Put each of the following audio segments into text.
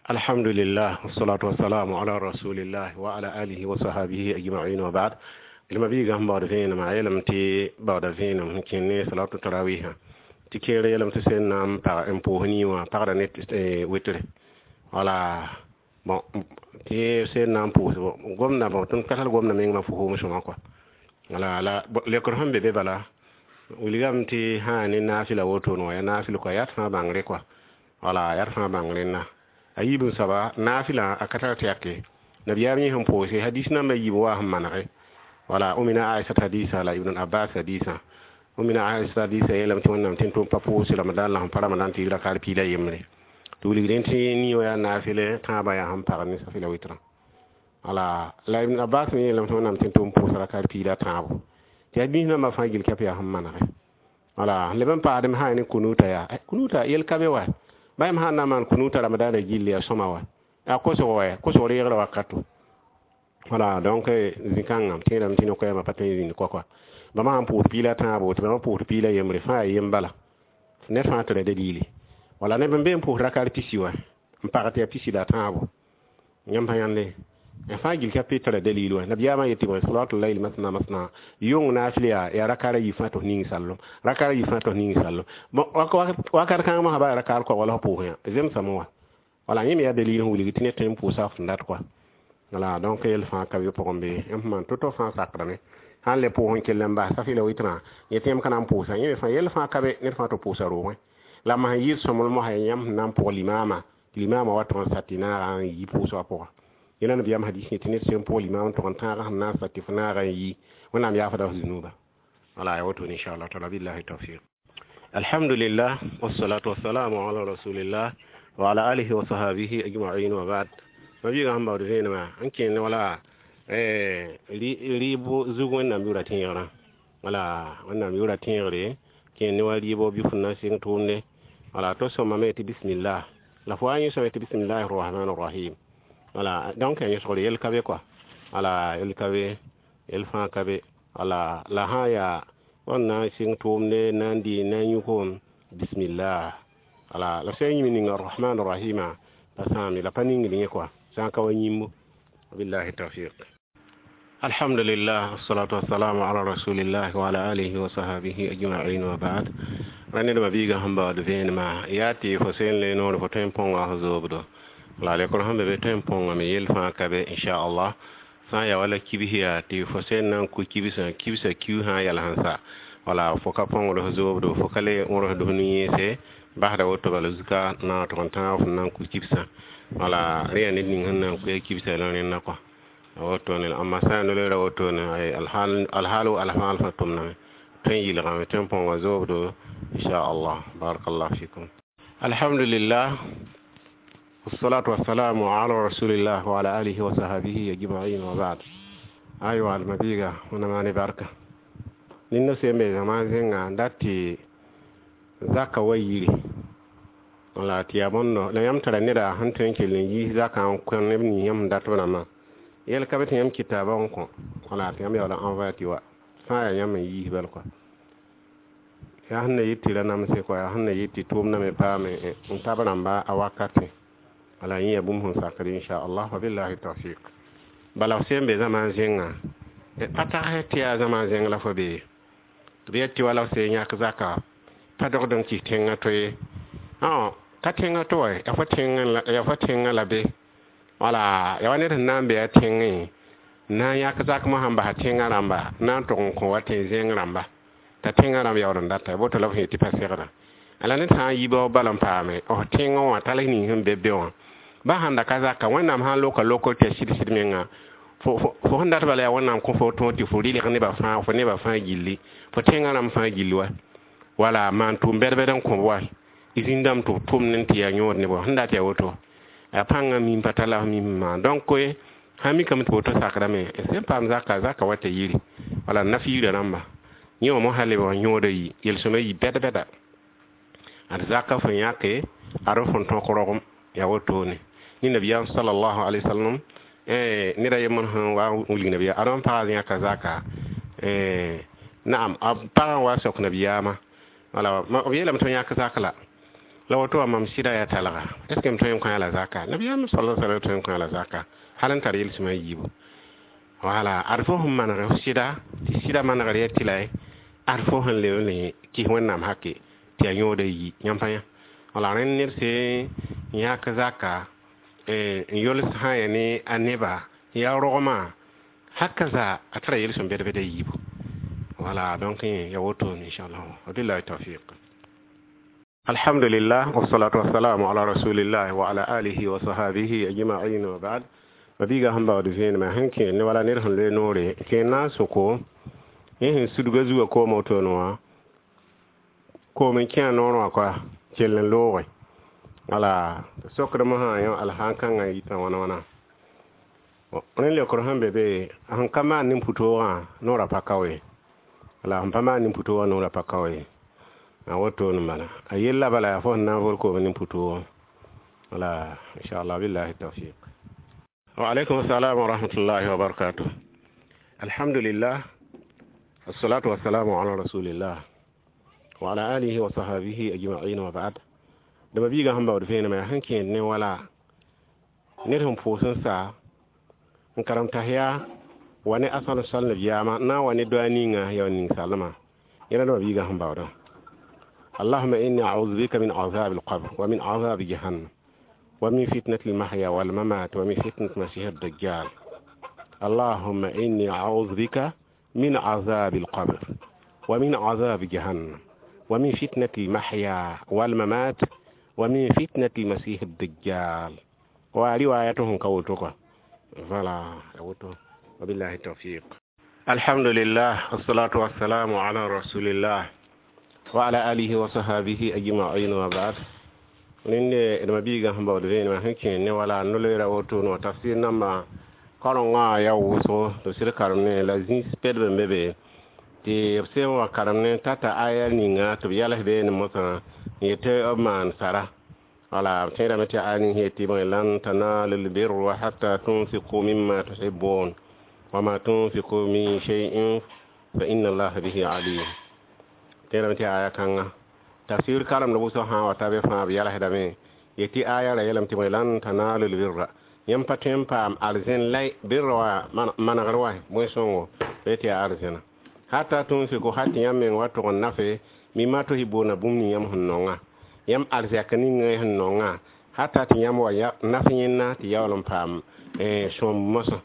Alhamdulillah, wassalatu wassalamu ala rasulillah wa ala alihi wa sahbihi ajma'in, wa ba'd. Ilma biiga sẽn baood vẽenemã a yeelame tɩ baooda vẽenem sẽn kẽn ne salatu tarawihã tɩ kẽer yeelame tɩ sẽn na n pag n pʋʋs nii wã pagda ne wɩtre. Wala bon, tɩ sẽn na n pʋʋs gomda, bon, tõnd ka tar gomda mengmã fo foom sõma kɔa. Wala la lekr sẽn be be bala wilgame tɩ sã ne naafɩla wotone wã, yaa naafɩl kɔa, yaa d fãa bãngre kɔa. Wala yaa d fãa bãng rẽnda. A yiib n soaba naafɩlã a ka tar tɛke nabiyaam yẽ sẽn pʋʋse hadis nambã yiib wa sẽn manege. Wala Umina Aisha hadisa la Ibn Abbas hadisa. Umina Aisha hadisa yeelame tɩ Wẽnnaam tẽn tʋm pa pʋʋs Ramadan la sẽn pa Ramadan tɩ yɩ rakar piila yembre tɩ wilg rẽnd tɩ nii wã yaa naafɩle tãabã yaa sẽn pag ne safɩla wɩtrã. Wala la Ibn Abbas me yeelame tɩ Wẽnnaam tẽn tʋm pʋʋs rakar piila tãabo tɩ hadis nambã fãa gil kɛp yaa sẽn manege. Wala leb n paasdem sã ne kunuta yaa kunuta yel ka be wa ba yãmb sã n na n maan kunuta ramadaanã gilli yaa sõma wa yaa kosg wa kosg reegrã wakato. Wala donc zĩ-kãngã tẽedame tɩ no-koɛɛmã pa tõe n zĩnd koa bãmba sãn pʋʋs piila tãabo tɩ bãmba pʋʋs piila yembre fãa yaa yem bala ned fãa tara dalili. Wala neb n be n pʋʋs rakar pisi wa n pag tɩ yaa pisi la tãabo yãmb pa yãnde fãa gil ka pe tara dalil wa. Nabiyaamã yetɩ bõe salatul layl masna masna yʋng naafɩl yaa rakara yi fãa tɩ f ning sallem, rakara yi fãa tɩ f ning sallem. Bon, wakat kãng mosã ba rakar koa wala f pʋʋs yã zemsame wa. Wala yẽ me yaa dalil sẽn wilg tɩ ned tõe n pʋʋsa f dat kɔa. Wala donc yel fãa ka be pʋgẽ be yãmb sẽn maan to-to fãa sakrame sãn le pʋʋs n kell n bas safɩla wɩtrã yetɩ yãmb ka na n pʋʋsa yẽ me fãa yel fãa ka be ned fãa tɩ pʋʋsa roogẽ la m sẽn yɩɩd sõmblem mosã yãmb sẽn na n pʋg limaamã tɩ limaamã wa tʋg n sa tɩ naaga n yi pʋʋs wã pʋgã. Yẽna nabiyaam hadis yẽ tɩ ned sẽn pʋg limaam tʋg n tãag sẽn na n sa tɩ f naaga n yi Wẽnnaam yaafda f zunuba. Wala ya woto inchallah taala, billahi tawfiq. Alhamdulillah, wassalatu wassalamu ala rasulillah wa ala alihi wa sahbihi ajma'in, wa ba'd. Ma biiga sẽn baood vẽenemã n kẽnd wala rɩɩb zug Wẽnnaam yʋʋra tẽegrã. Wala Wẽnnaam yʋʋra tẽegre kẽnd ne wa rɩɩbɔ bɩ fo na sɩng tʋʋmde. Wala to sõmame tɩ bismillah la fo wa yẽ sõme tɩ bismillahi rahmani rahim. Wala donc a yẽsgr yel ka be kɔa. Wala yel ka be, yel fãa ka be. Wala la sã n yaa wãn na n sɩng tʋʋmde na n dɩ na n yũ koom bismillah. Wala la sã n yĩm ning arrahman rahima pa sãame la pa ningd yẽ kɔa sã n ka wa yĩmbo. Billahi tawfiq. Alhamdulillah, wassalatu wassalamu ala rasulillah wa ala alihi wa sahbihi ajma'in, wa ba'd. Ra nedmã biiga sẽn baood vẽenemã yaa tɩ fo sẽn le noor fo tõe n põnga f zoobdo la lekr sẽn be be tõe n põngame yel fãa ka be inchallah. Sã n yaa wala kibs yaa tɩ fo sẽn na n ku kibsã kibsã kiu sã n yɛl sẽn sa wala fo ka põngd f zoobdo fo ka le wõrsd f nu-yẽese basda woto bala zuka na tʋg n tãag f na n ku kibsã. Wala rẽ yaa ned ning sẽn na n kuya kibsã la rẽnna kɔa wotone. Amma sã n noleera wotone alhaalo alfãa alfã tʋmdame tõe n yɩlgame tõe n põnga zoobdo inchallah. Barakallahu fikum. Alhamdulillah, wassalatu wassalamu ala rasulillah wa ala alihi wa sahbihi ajma'in, wa ba'd. Aywa almabiga wẽnnaam ne barka ninda sẽn be zãma zẽnga n dat tɩ zaka wa yiri wala tɩ yaa bõndo la yãmb tara neda sẽn tõe n kell n yiis zakã n kõ neb nins yãmb sẽn dat b rãmbã yel ka be tɩ yãmb kitaabã n kõ wala tɩ yãmb yaool n envoyer tɩ wa sã n yaa yãmb n yiis bal kɔa yaa sẽn na yet tɩ ra namse kɔa yaa sẽn na yet tɩ tʋʋmdame paame n tab rãmba a wakatẽ. Wala yẽ yaa bũmb sẽn sakd inchallah, wa billahi tawfiq. Bala f sẽn be zãma zẽngã pa tagsɛ tɩ yaa zãma zẽng la fo bee tɩ b yet tɩ wala f sẽn yãk zaka pa dogd n kɩs tẽngã to ye ka tẽngã to wa yaa fo tẽngã la be. Wala yaa wa ned sẽn na n be a tẽngẽ na n yãk zak mosã n basa tẽngã rãmba na n tʋg n kõ wa tẽ zẽng rãmba t'a tẽngã rãmb yaool n data boto la f yetɩ pa segda. La ned sã n yi bao bal n paame f tẽngã wã tall ning sẽn be be wã ba sãn da ka zaka Wẽnnaam sã n loka lokr tɩ ya sɩd-sɩd menga fo sẽn dat bala yaa Wẽnnaam kõ fo tõog tɩ fo rɩlg nebã fãa fo nebã fãa gilli fo tẽngã rãmb fãa gill wa wala maan tʋʋm bɛd-bɛd n kõb wa zĩndame tɩ b tʋmd n tɩ yaa yõod nebã sẽn dat yaa woto a pãngã mim pa tar la f mim maan donc sã mikame tɩ woto sakrame sẽn paam zaka zaka wa t'a yiri wala naf yirã rãmba yẽ wã mosã leb n yõoda yi yel-sõma yi bɛd-bɛda ad zaka fo yãke ad f n tõk rogem yaa wotone ne nabiyaam sallallahu alaihi wasallam ned a yembr sẽn wa n wilg nabiyaam ad n pagã yãka zaka naam a pagã n wa sok nabiyaamã wala b yeelame tɩ yãk zak la La woto mam sɩda yaa talga, est ce que m tõe n kõ la zaka? Nabiyaam sala sallam tõe n kõ la zaka hal n tar yel-sõma yiibu. Wala ad fo sẽn maneg f sɩda tɩ sɩda manegr ya tɩ la ad fo sẽn leb n kɩs Wẽnnaam hake tɩ yaa yõoda yi. Yãmb pa yã, wala rẽnd ned sẽn yãk zaka n yols sã n yaa ne a neba yaa rogmã haka zaa a tara yel-sõm bɛd bɛd a yiibu. Wala donc ya woto, inchallah, wabillahi tawfiq. Alhamdulillah, wassalatu wassalamu ala rasulillah wa ala alihi wa sahabihi ajma'in, wa ba'd. Mabiiga sẽn baood vẽenemã sẽn kẽ ne wala ned sẽn loe noore kẽ na n soko yẽ sẽn sudga zugã koomã wotone wã, koom n kẽ a noorẽ wã koa kell n looge. Wala sokdmã sã yõ alhãn-kãngã yitã wãna wãna. Rẽnd leokr sẽn be be, sẽn ka maan nin-pʋtoogã noorã pa ka we, wala sẽn pa maan nin-pʋtoogã noorã pa ka we a wotone bala. A yella bala yaa fo sẽn na n vol koom nin-pʋtoogã. Wala inchallah, billahi tawfiq. Wa alaikum assalam wa rahmatullahi wa barakatuh. Alhamdulillah, wassalatu wassalamu ala rasulillah wa ala alihi wa sahabihi ajma'in, wa ba'd. Dama biiga sẽn baood vẽenemã yaa sẽn kẽed ne wala ned sẽn pʋʋs n sa n karem tas yaa wa ne asal sal nabiyaamã na n wa ne doa ninga ya ning salmã yẽla. Dãmba biiga sẽn baoodã: اللهم إني أعوذ بك من عذاب القبر ومن عذاب جهنم ومن فتنة المحيا والممات ومن فتنة المسيح الدجال. اللهم إني أعوذ بك من عذاب القبر ومن عذاب جهنم ومن فتنة المحيا والممات ومن فتنة المسيح الدجال. وروايتهم كوتوكا فلا وبالله التوفيق. الحمد لله، والصلاة والسلام على رسول الله وعلى آله وصحبه أجمعين، وبعد. Rẽnde d mabiigã sẽn baood vẽenemã sẽn kẽ ne wala no-loeera woto no tafsir nambã karengã yaa wʋsgo tɩ sɩd karem ne la zĩis pɛdb n be be tɩ b sẽn wa karem ne tata aya ninga tɩ b yals beene mosã n yetɩ b maan sara. Wala b tẽedame tɩ aya ning yetɩ bõe: lan tanalu lbirra hatta tunfiqu mimma tuhibbun wa ma tunfiqu min shay'in fa inna allaha bihi alim. Tẽedame tɩ aya kãnga tafsir karemd wʋsg sã n wa ta be fãa b yalsdame yetɩ aya ra yeelame tɩ bõe: lan tanalu lbirra, yãmb pa tõe n paam arzẽn lay birra wa manegr wa bõe-sõngo be tɩ yaa arzẽna hata tunfiku hal tɩ yãmb meng wa tʋg n nafe mimma tuhibbuna bũmb ning yãmb sẽn nongã, yãmb arzɛk ning sẽn nongã, hata tɩ yãmb wa naf yẽnna tɩ yaool n paam sõmb mosã.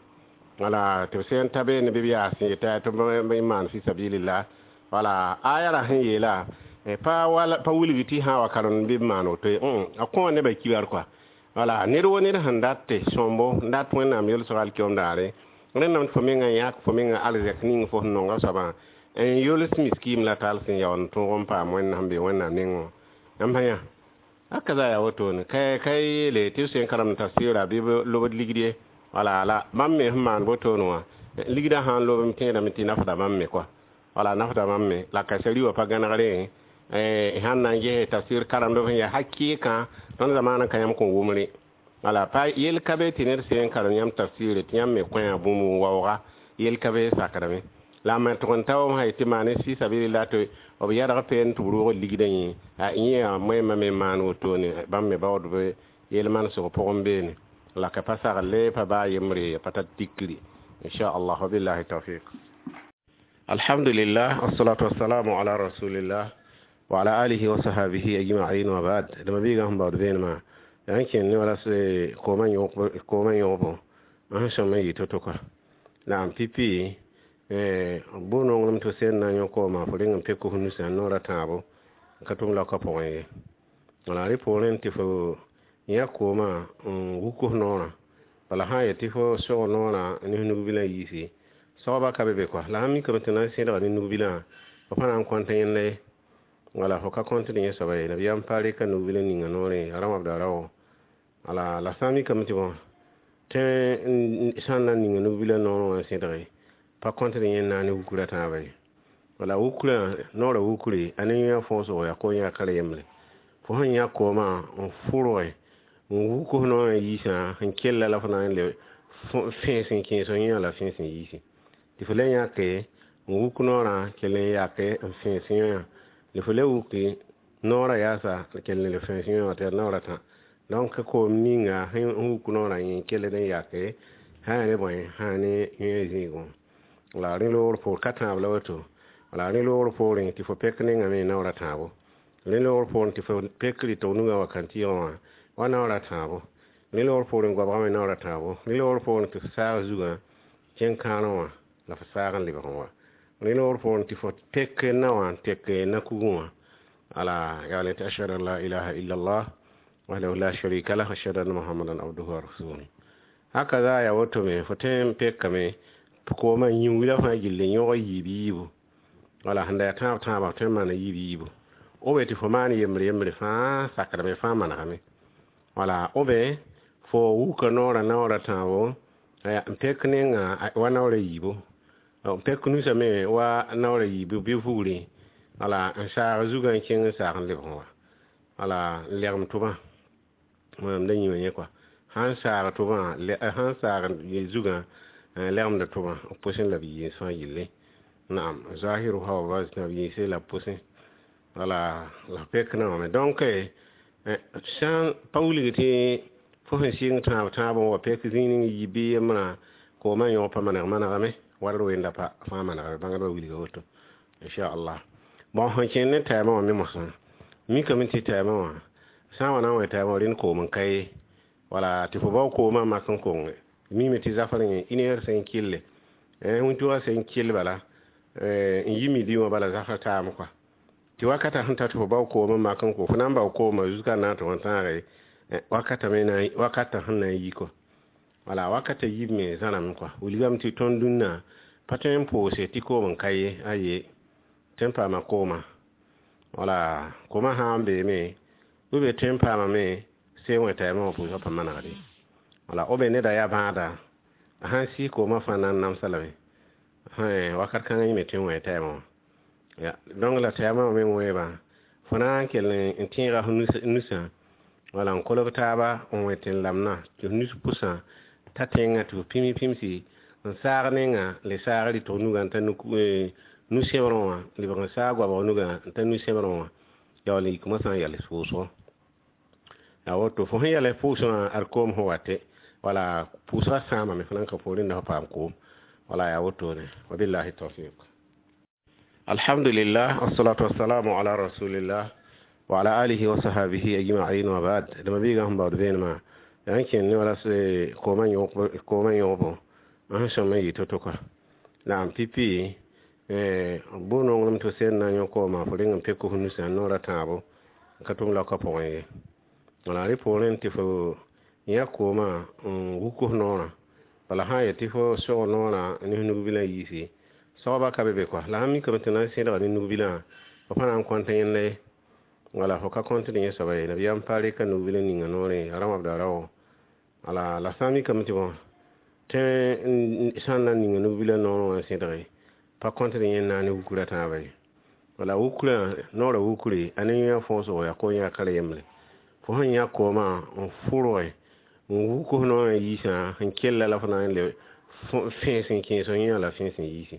Wala tɩ b sẽn ta beene bɩ b yaa sẽn yeta tɩ b maan fi sabilillah. Wala aya ra sẽn yeela pa wala pa wilg tɩ sã wa karem bɩ b maan woto, a kõ nebã kibar kɔa. Wala ned wo ned sẽn dat tɩ sõmbo n dat Wẽnnaam yelsg alkiom daare, rẽndame tɩ fo mengã yãk fo mengã arzɛk ning fo sẽn nonga soabã n yols miskiim la tall sẽn yaool n tõog n paam Wẽnnaam be Wẽnnaam nengẽ. Yãmb sã yã aka za yaa wotone ka yeele tɩ b sẽn karemd tafsɩra bɩ b lobd ligd ye. Wala la bãmb me sẽn maan wotone wã, ligdã sã n lob m tẽedame tɩ nafda bãmb me kɔa. Wala nafda bãmb me la ka sari wã pa gãnegre sãn na n ges tafsir karemd sẽn yaa hakɩɩkã tõnd zamaanã ka yãmb kõn wʋmre. Wala pa yel ka be tɩ ned sẽn karem yãmb tafsɩre tɩ yãmb me kõ bũmb n waooga yel ka be sakdame la me tʋg n ta wã sã yetɩ maan fi sabilillah tɩ b yɛdg peen tɩ b roog ligdã yẽ a yẽ yaa moẽmã me maan wotone bãmb me baood b yel manesg pʋgẽ beene la ka pa sagle pa baa yembre pa tar tikri, inchallah, wabillahi tawfiq. Alhamdulillah, wassalatu wassalamu ala rasulillah wa ala alihi wa sahabihi ajma'in, wa ba'd. Dama biiga sẽn baood vẽenemã yaa n kẽnd ne wala koomã yõobo sẽn sõm n yɩ to-to kɔa. Naam, pipi bu-nonglem tɩ sẽn na n yõ kooma fo reng n pek f nusã noorã tãabo n ka tʋm laoka pʋgẽ ye. Wala rẽ poorẽ tɩ fo yã koomã n wuk f noorã. Bala sã n yet tɩ fo sog noorã ne f nug-bilã yiisi soaba ka be be kɔa. La sãn mikame tɩ na n sẽdga ne nug-bilã fo pa na n kõnt yẽnda ye, wala fo ka kõtd yẽ soaba ye. Nabiyaam pa reka nug-bilã ninga noorẽ ya rãwabda rao. Wala la sã n mikame tɩ bõ tẽ sã n na n ninga nug-bilã noorẽ wã n sẽdge pa kõtd yẽnda ne wukra tãabã ye. Wala wukrã noorã wukre a ne yã fõosgo yaa ko yãkr yembre fo sẽn yã koomã n fʋrge n wuk f noorã yiisã sẽn kella la fo na n le fẽes n kẽes f yã la fẽes n yiisi tɩ fo le yãke n wuk noorã kell n yake n fẽes yã la fo le wuki. Noorã yaasa kell n le fẽes yẽ wã tɩ yaa naoor a tã. Donc koom ninga sẽn wuk noorã yẽ kelld n yake sã yaa ne bõe, sã ne yẽ zĩigẽ. La rẽ loogr poor ka tãab la woto. La rẽ loogr poorẽ tɩ fo pek nengame naoor a tãabo. Rẽ loogr poorẽ tɩ fo pek rɩtg nugã wa kãntɩɩgã wã wa naoor a tãabo. Rẽ loogr poorẽ goabgã me naoor a tãabo. Rẽ loogr poorẽ tɩ fo saag zugã kẽng kãorẽ wã la fo saag n lebg n wa. Rẽ loogr poorẽ tɩ fo tek naowã n tek na-kugẽ wã. Ala yaa tɩ ashhadu an la ilaha illallah wahdahu la sharika lah, ashhadu anna muhammadan abduhu wa rasuluhu. Hakaza yaa woto me fo tõe n pekame koomã yĩngla fãa gilli n yõg yiib yiibu. Wala sẽn da yaa tãab tãabã tõe n maana yiib yiibu. Obe tɩ fo maan yembre yembre fãa sakdame fãa manegame. Wala obe fo wuka noorã naoor a tãabo n pek nenga wa naoor a yiibu. N pek nusã me wa naoor a yiibu bɩ vugri. Wala n saag zugã n kẽng n saag n lebg n wa. Wala n legem tʋbã. Mam da yĩma yẽ kɔa. Sãn saag tʋbã, sãn saag zugã legemda tʋbã b pʋsẽ la b yiis fãa yelle. Naam, zahiruha wa batina b yiise la b pʋsẽ. Wala la pek naowã me. Donc sã pa wilg tɩ fo sẽn sɩng tãab tãab n wa pek zĩig ning yi bɩ yembrã koomã yõg pa maneg manegame ward wenda pa fãa manegame bãngdbã wilga woto inchallah. Bon, sẽn kẽnd ne tɛɛmã wã me mosã mikame tɩ tɛɛmã wã sã n wa na n wẽ tɛɛmã wã rẽnd koom n ka ye. Wala tɩ fo bao koomã mak n konge mime tɩ zafr yẽ une heure sẽn kɩlle wĩntugã sẽn kɩll bala n yi midi wã bala zafr taame kɔa. Tɩ wakata sẽn ta tɩ fo bao koomã mak n ko fo na n bao koomã zuska na n tɩ tãage wakata me na wakata sẽn na n yi kɔa. Wala wakata yib me zãrame kɔa. Wilgame tɩ tõnd dũnna pa tõe n pʋʋse tɩ koom n ka ye aye tõe n paama kooma. Wala koomã sã n beeme bɩ be tõe n paamame se wẽ tɛɛmã wã pʋʋsgã pa manegde. Wala b neda yaa bãada a sãn sɩs koomã fãa na n namsa lame wakat kãngã yẽ me tõe n wẽ tɛɛmã wã. Ya donc la tɛɛmã wã me wẽebã fo na n kell n tẽega f nusã wala n kolg taaba n wẽ tɩ n lamna tɩ f nus pʋsã ta tẽngã tɩ f pĩm pĩmsi n saag nenga le saag rɩtg nugã n ta nu-sẽbrẽ wã lebg n saag goabg nugã n ta nu-sẽbrẽ wã yaool n yik mosã n yals pʋʋsgo. Yaa woto fo sẽn yals pʋʋsgã wã ad koom sẽn wate wala pʋʋsgã sãamame fo nan ka poorẽ la fo paam koom. Wala yaa wotone wabillahi tawfiq. Alhamdulillah, wassalatu wassalamu ala rasulillah wa ala alihi wa sahbihi ajma'in wa ba'd. Dama biiga sẽn baood vẽenemã yaa n kẽnd ne wala koomã yõgbo sẽn sõm n yɩ to-to kɔa. Naam pipi bʋ-nonglem tɩ sẽn na n yõ koomã fo reng n pek f nusã noor a tãabo n ka tʋm laoka pʋgẽ ye. Wala rẽ poorẽ tɩ fo yã koomã n wuk f noorã. Bala sã n yet tɩ fo sog noorã ne f nug-bilã yiisi soabã ka be be kɔa. La sãn mikame tɩ na n sẽdga ne nug-bilã fo pa na n kõnt yẽnda ye. Wala fo ka kõtd yẽ soaba ye. Nabiyaam pa reka nug-bilã ninga noorẽ a ra wãbda rao. Wala la sã n mikame tɩ bõ tõe sã n na n ninga nug-bilã noorẽ wã n sẽdge pa kõtd yẽnda ne wukra tãabã ye. Wala wukrã noorã wukre a ne yã fõosgo yaa ko yãkr yembre. Fo sẽn yã koomã n fʋrge n wuk f noorã yiisã sẽn kella la fo na n le fẽes n kẽes f yã la fẽes n yiisi.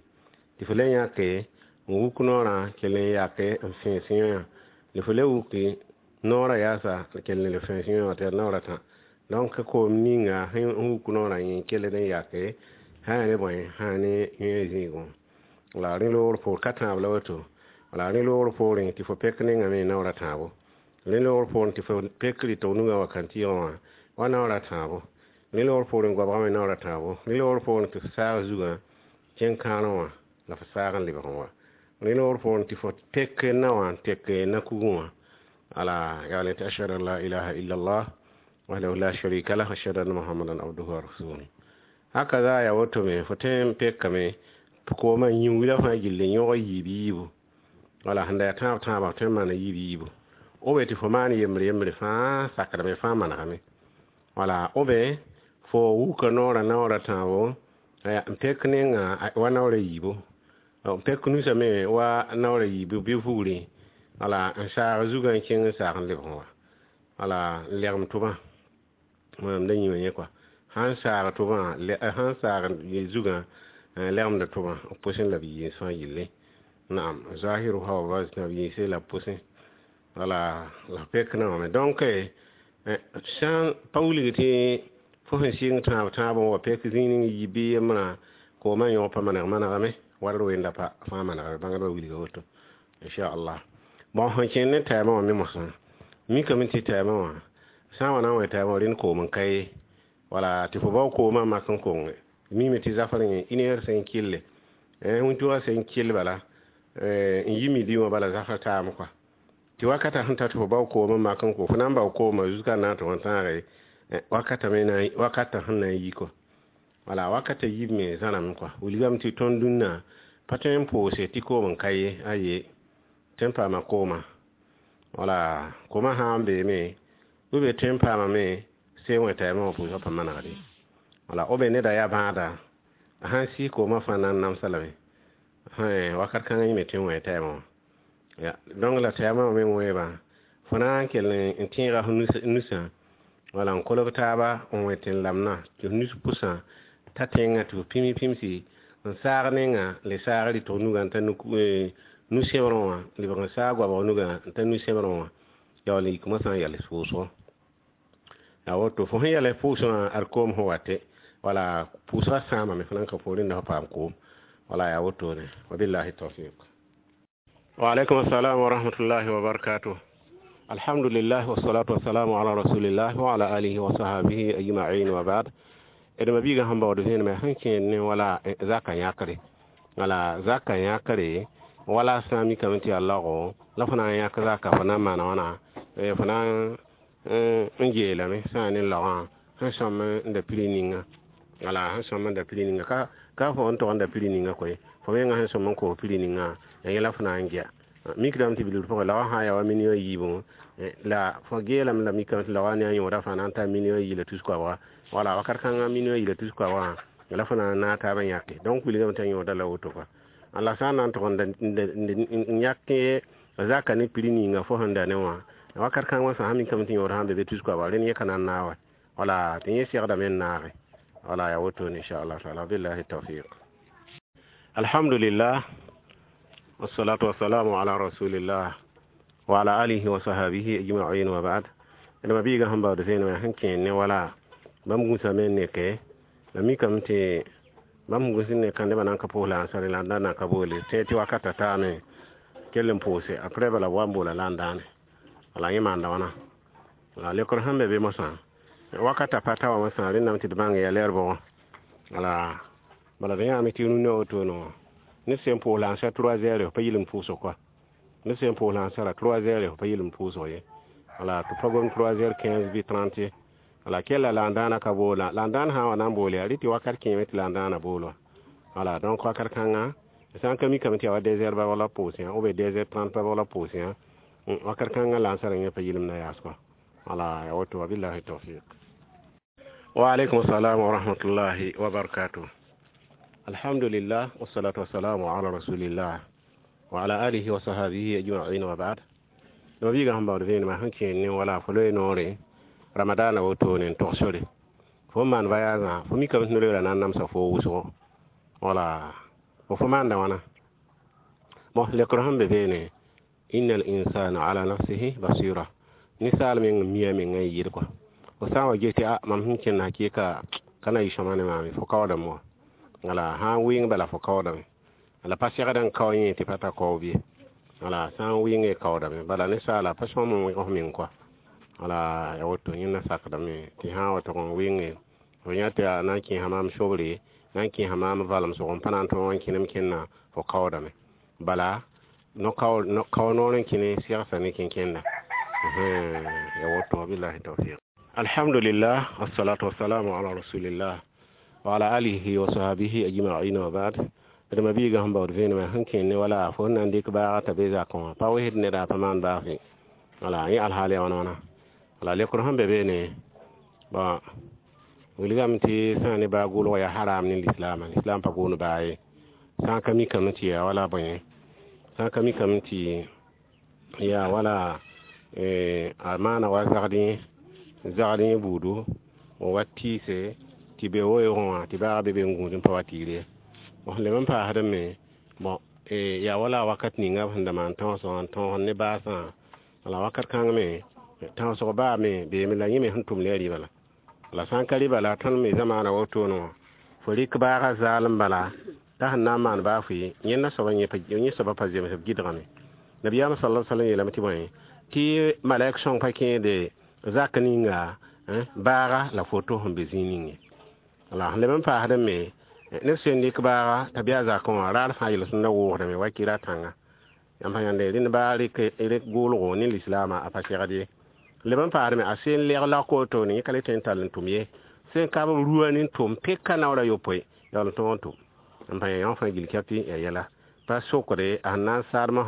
Tɩ fo le yãke n wuk noorã kell n yake n fẽes yã la fo le wuki noorã yaasa kell n le fẽes yã wã tɩ yaa naoor a tã. Donc koom ninga sẽn wuk noorã yẽ kelld n yake sã yaa ne bõe, sã yaa ne yẽ zĩigẽ. La rẽ loogr poor ka tãab la woto. Wala rẽ loogr poorẽ tɩ fo pek nengame naoor a tãabo. Rẽ loogr poorẽ tɩ fo pek rɩtg nugã wa kãntɩɩgã wã wa naoor a tãabo. Rẽ loogr poorẽ goabgã me naoor a tãabo. Rẽ loogr poorẽ tɩ fo saag zugã kẽng kãorẽ wã la fo saag n lebg n wa. Rẽ loogr poorẽ tɩ fo tek naowã n tek na-kugẽ wã. Ala yaa tɩ ashhadu an la ilaha illallah wahdahu la sharika lah, ashhadu anna muhammadan abduhu wa rasuluhu. Hakaza yaa woto me fo tõe n pekame koomã yĩngla fãa gilli n yõg yiib yiibu. Wala sẽn da yaa tãab tãabã tõe n maana yiib yiibu. Obe tɩ fo maan yembre yembre fãa sakdame fãa manegame. Wala obe fo wuka noorã naoor a tãabo n pek nenga wa naoor a yiibu. N pek nusã me wa naoor a yiibu bɩ vugri. Wala n saag zugã n kẽng n saag n lebg n wa. Wala n legem tʋbã mam da yĩma yẽ kɔa. Sãn saag tʋbã, sãn saag zugã legemda tʋbã b pʋsẽ la b yiis fãa yelle. Naam, zahiruha wa batina b yiise la b pʋsẽ. Wala la pek na wame. Donc sã pa wilg tɩ fo sẽn sɩng tãab tãabẽ wa pek zĩig ning yi bɩ yembrã koomã yõog pa maneg manegame ward wenda pa fãa manegame bãngdbã wilga woto inchallah. Bon, sẽn kẽnd ne tɛɛmã wã me mosã mikame tɩ tɛɛmã wã sã n wa na n wẽ tɛɛmã wã rẽnd koom n ka ye, wala tɩ fo bao koomã mak n konge mime tɩ zafr yẽ une heure sẽn kɩlle, wĩntugã sẽn kɩll bala n yi midi wã bala zafr taame kɔa tɩ wakata sẽn ta tɩ fo bao koom n mak n ko fo na n bao koomã jusqu'à na n tʋg n tãage wakata me na wakata sẽn na n yi kɔ. Wala wakata yib me zãrame kɔa wilgame tɩ tõnd dũnna pa tõe n poose tɩ koom n ka ye aye tõe n paama kooma, wala koomã sã n beeme b be tõe n paamame sẽn wẽ tɛɛmã wã pʋʋsgã pa manegde. Wala b neda yaa bãada a sãn sɩs koomã fãa na n namsa lame wakat kãngã yẽ me tõe n wẽ tɛɛmã wã ya. Donc la tɛɛmã wã me wẽebã fo na n kell n tẽega f nusã wala n kolg taaba n wẽ tɩ n lamna tɩ f nus pʋsã ta tẽngã tɩ f pĩms pĩmsi n saag nenga le saag rɩtg nugã n ta nu-sẽbrẽ wã lebg n saag goabg nugã n ta nu-sẽbrẽ wã yaool n yik mosã n yals pʋʋsgo ya woto fo sẽn yals pʋʋsgã wã ad koom sẽn wate wala pʋʋsgã sãamame fo nan ka poorẽ da fo paam koom wala ya wotone. Wabillahi tawfiq. Wa alaikum assalam wa rahmatullahi wa barakatuh. Alhamdulillah wassalatu wassalamu ala rasulillah wa ala alihi wa sahbihi ajma'in wa ba'd. Edma biiga sẽn baood vẽenemã sẽn kẽed ne wala zaka yãkre, wala zaka yãkre wala sã n mikame tɩ yaa lago la fo na n yãk zaka fo na n maana wãna fo na n geelame sã n ne laogã sẽn sõm n da piri ninga, wala sẽn sõm n da piri ninga ka fo n tog n da piri ninga koe fo menga sẽn sõm n koos piri ninga ya yẽla fo na n gea mikdame tɩ bilgr pʋgẽ laogã sã n yaa wa million yiibẽ la fo geelame la mikame tɩ laogã ne a yõoda fãa na n taa million yi la tus koabga, wala wakat kãngã million yi la tus koabgã la fo na n naag taabã yãke. Donc wilgame t'a yõoda la woto kɔa la sã n na n tʋg n yãk zaka ne piri ninga fo sẽn da ne wã wakat kãngã sã mikame tɩ yõod sãn be be tus koabga rẽnd yẽ ka na n naag wa wala tɩ yẽ segdame n naage wala ya wotone inchallah taala. Billahi tawfiq. Alhamdulillah wassalatu wassalamu ala rasulillah wa ala alihi wa sahbihi ajma'in wa ba'd. Edma biiga sẽn baood vẽenemã sẽn kẽed ne wala bãmb gũsame n neke la mikame tɩ bãmb gũs n ne kãndbã na n ka pʋʋs la ansare la n da na ka boole tẽ tɩ wakata taame kell n pʋʋse après bala b wa n boola la n dãane wala yẽ maanda wãna la lekr sẽn be be mosã wakata pa ta wa mosã rẽndame tɩ d bãng yaa lɛɛr bʋgẽ wala bala d yãame tɩ rũnã wotone wã ned sẽn pʋʋs la ansar 3 heures pa yɩl n pʋʋsg kɔa ned sẽn pʋʋs la ansara 3 heures pa yɩl n pʋʋsg ye wala tɩ pa gom 3 heures 15 bɩ 30 ye wala kella la n dãana ka boola la n dãan sã n wa na n bool yaa rɩ tɩ wakat kẽeme tɩ la n dãana bool wa wala. Donc wakat kãngã sã n ka mikame tɩ yaa wa 2 heures ba la pʋʋs yã ou bien 2 heures 30 ba la pʋʋs yã wakat kãngã la ansara yẽ pa yɩlem na yaas kɔa wala ya woto. Wabillahi tawfiq. Wa alaikum assalam wa rahmatullahi wa barakatuh. Alhamdulillah wassalatu wassalamu ala rasulillah wa ala alihi wa sahbihi ajma'in wa ba'd. No biiga sẽn baood vẽenemã sẽn kẽed ne wala fo loe noore ramadana wotone n tog sore fo n maan voyagã fo mikame tɩ no-loeera na n namsa fo wʋsgo wala fo maanda wãna bon lekr sẽn be beene inna al-insana ala nafsihi basira ninsaal meng n mia mengã n yɩɩd kɔa fo sã n wa ges tɩ a mam sẽn kẽnd hakɩɩka ka na yɩ sõma ne maame fo kaoodame wã wala sã n wɩng bala fo kaoodame wala pa segd n kao yẽ tɩ pa ta kaob ye wala sã n wɩnge kaoodame bala ninsaala pa sõm n wẽg f meng kɔa wala ya woto yẽnda sakdame tɩ sã n wa tʋg n wɩnge fo yã tɩ a na n kẽesa maam sobre na n kẽesa maam valem sʋg n pa na n tõog n kẽnem kẽnna fo kaoodame bala no kao noor n kẽne segsa ne kẽnkẽnda ya woto. Wabillahi tawfiq. Alhamdulillah wassalatu wassalamu ala rasulillah wa ala alihi wa sahbihi ajma'in wa ba'd. Dma biiga sẽn baood vẽenemã sẽn kẽed ne wala fo na n dɩk baaga t'a be zakẽ wã pa wesd neda pa maan baag fe wala yẽ alhaal ya wãna wãna wala lekr sẽn be beene bon wilgame tɩ sã n ne baa gʋlg yaa haram ne lislaamã lislaam pa boond baa ye sã n ka mikame tɩ yaa wala bõe sã n ka mikame tɩ yaa wala a maana wa zagd yẽ buudu n wa tɩɩse tɩ be weoogẽ wã tɩ baaga be be n gũud n pa wa tɩɩr ye bon lem n paasdame bon yaa wala wakat ninga b sẽn da maan tõosg n tõog ne baasã La wakat kãng me tãosg baa me beeme la yẽ me sẽn tʋm ne a rɩba la sã n ka rɩba la tõnd me zamaana wotone wã fo rɩk baaga zaalem bala t'a sẽn na n maan baa fʋɩ yẽnda soaba yẽ soaba pa zems b gɩdgame. Nabiyaam sallallahu alaihi wasallam yeelame tɩ bõe tɩ malaik sõng pa kẽede zak ninga baaga la foto sẽn be zĩig ning ye. La sẽn leb n paasdẽ me neb sẽn dɩk baaga t'a bɩ a zakẽ wã raar fãa yel-sõmda wʋʋsdame wa kɩra tãnga yãmb sã yãnde rẽnd baa rɩk goolgo ne lislaamã a pa segd ye. Leb n paasdme a sẽn lɛg lak wotone yẽ ka le tõe n tall n tʋm ye sẽn kab b rua ne tʋm peka naoor a yopoe yaool n tõog n tʋm n pa yã fãa gill kɛpɩ ya yɛla pa sokde a sẽn na n saadmã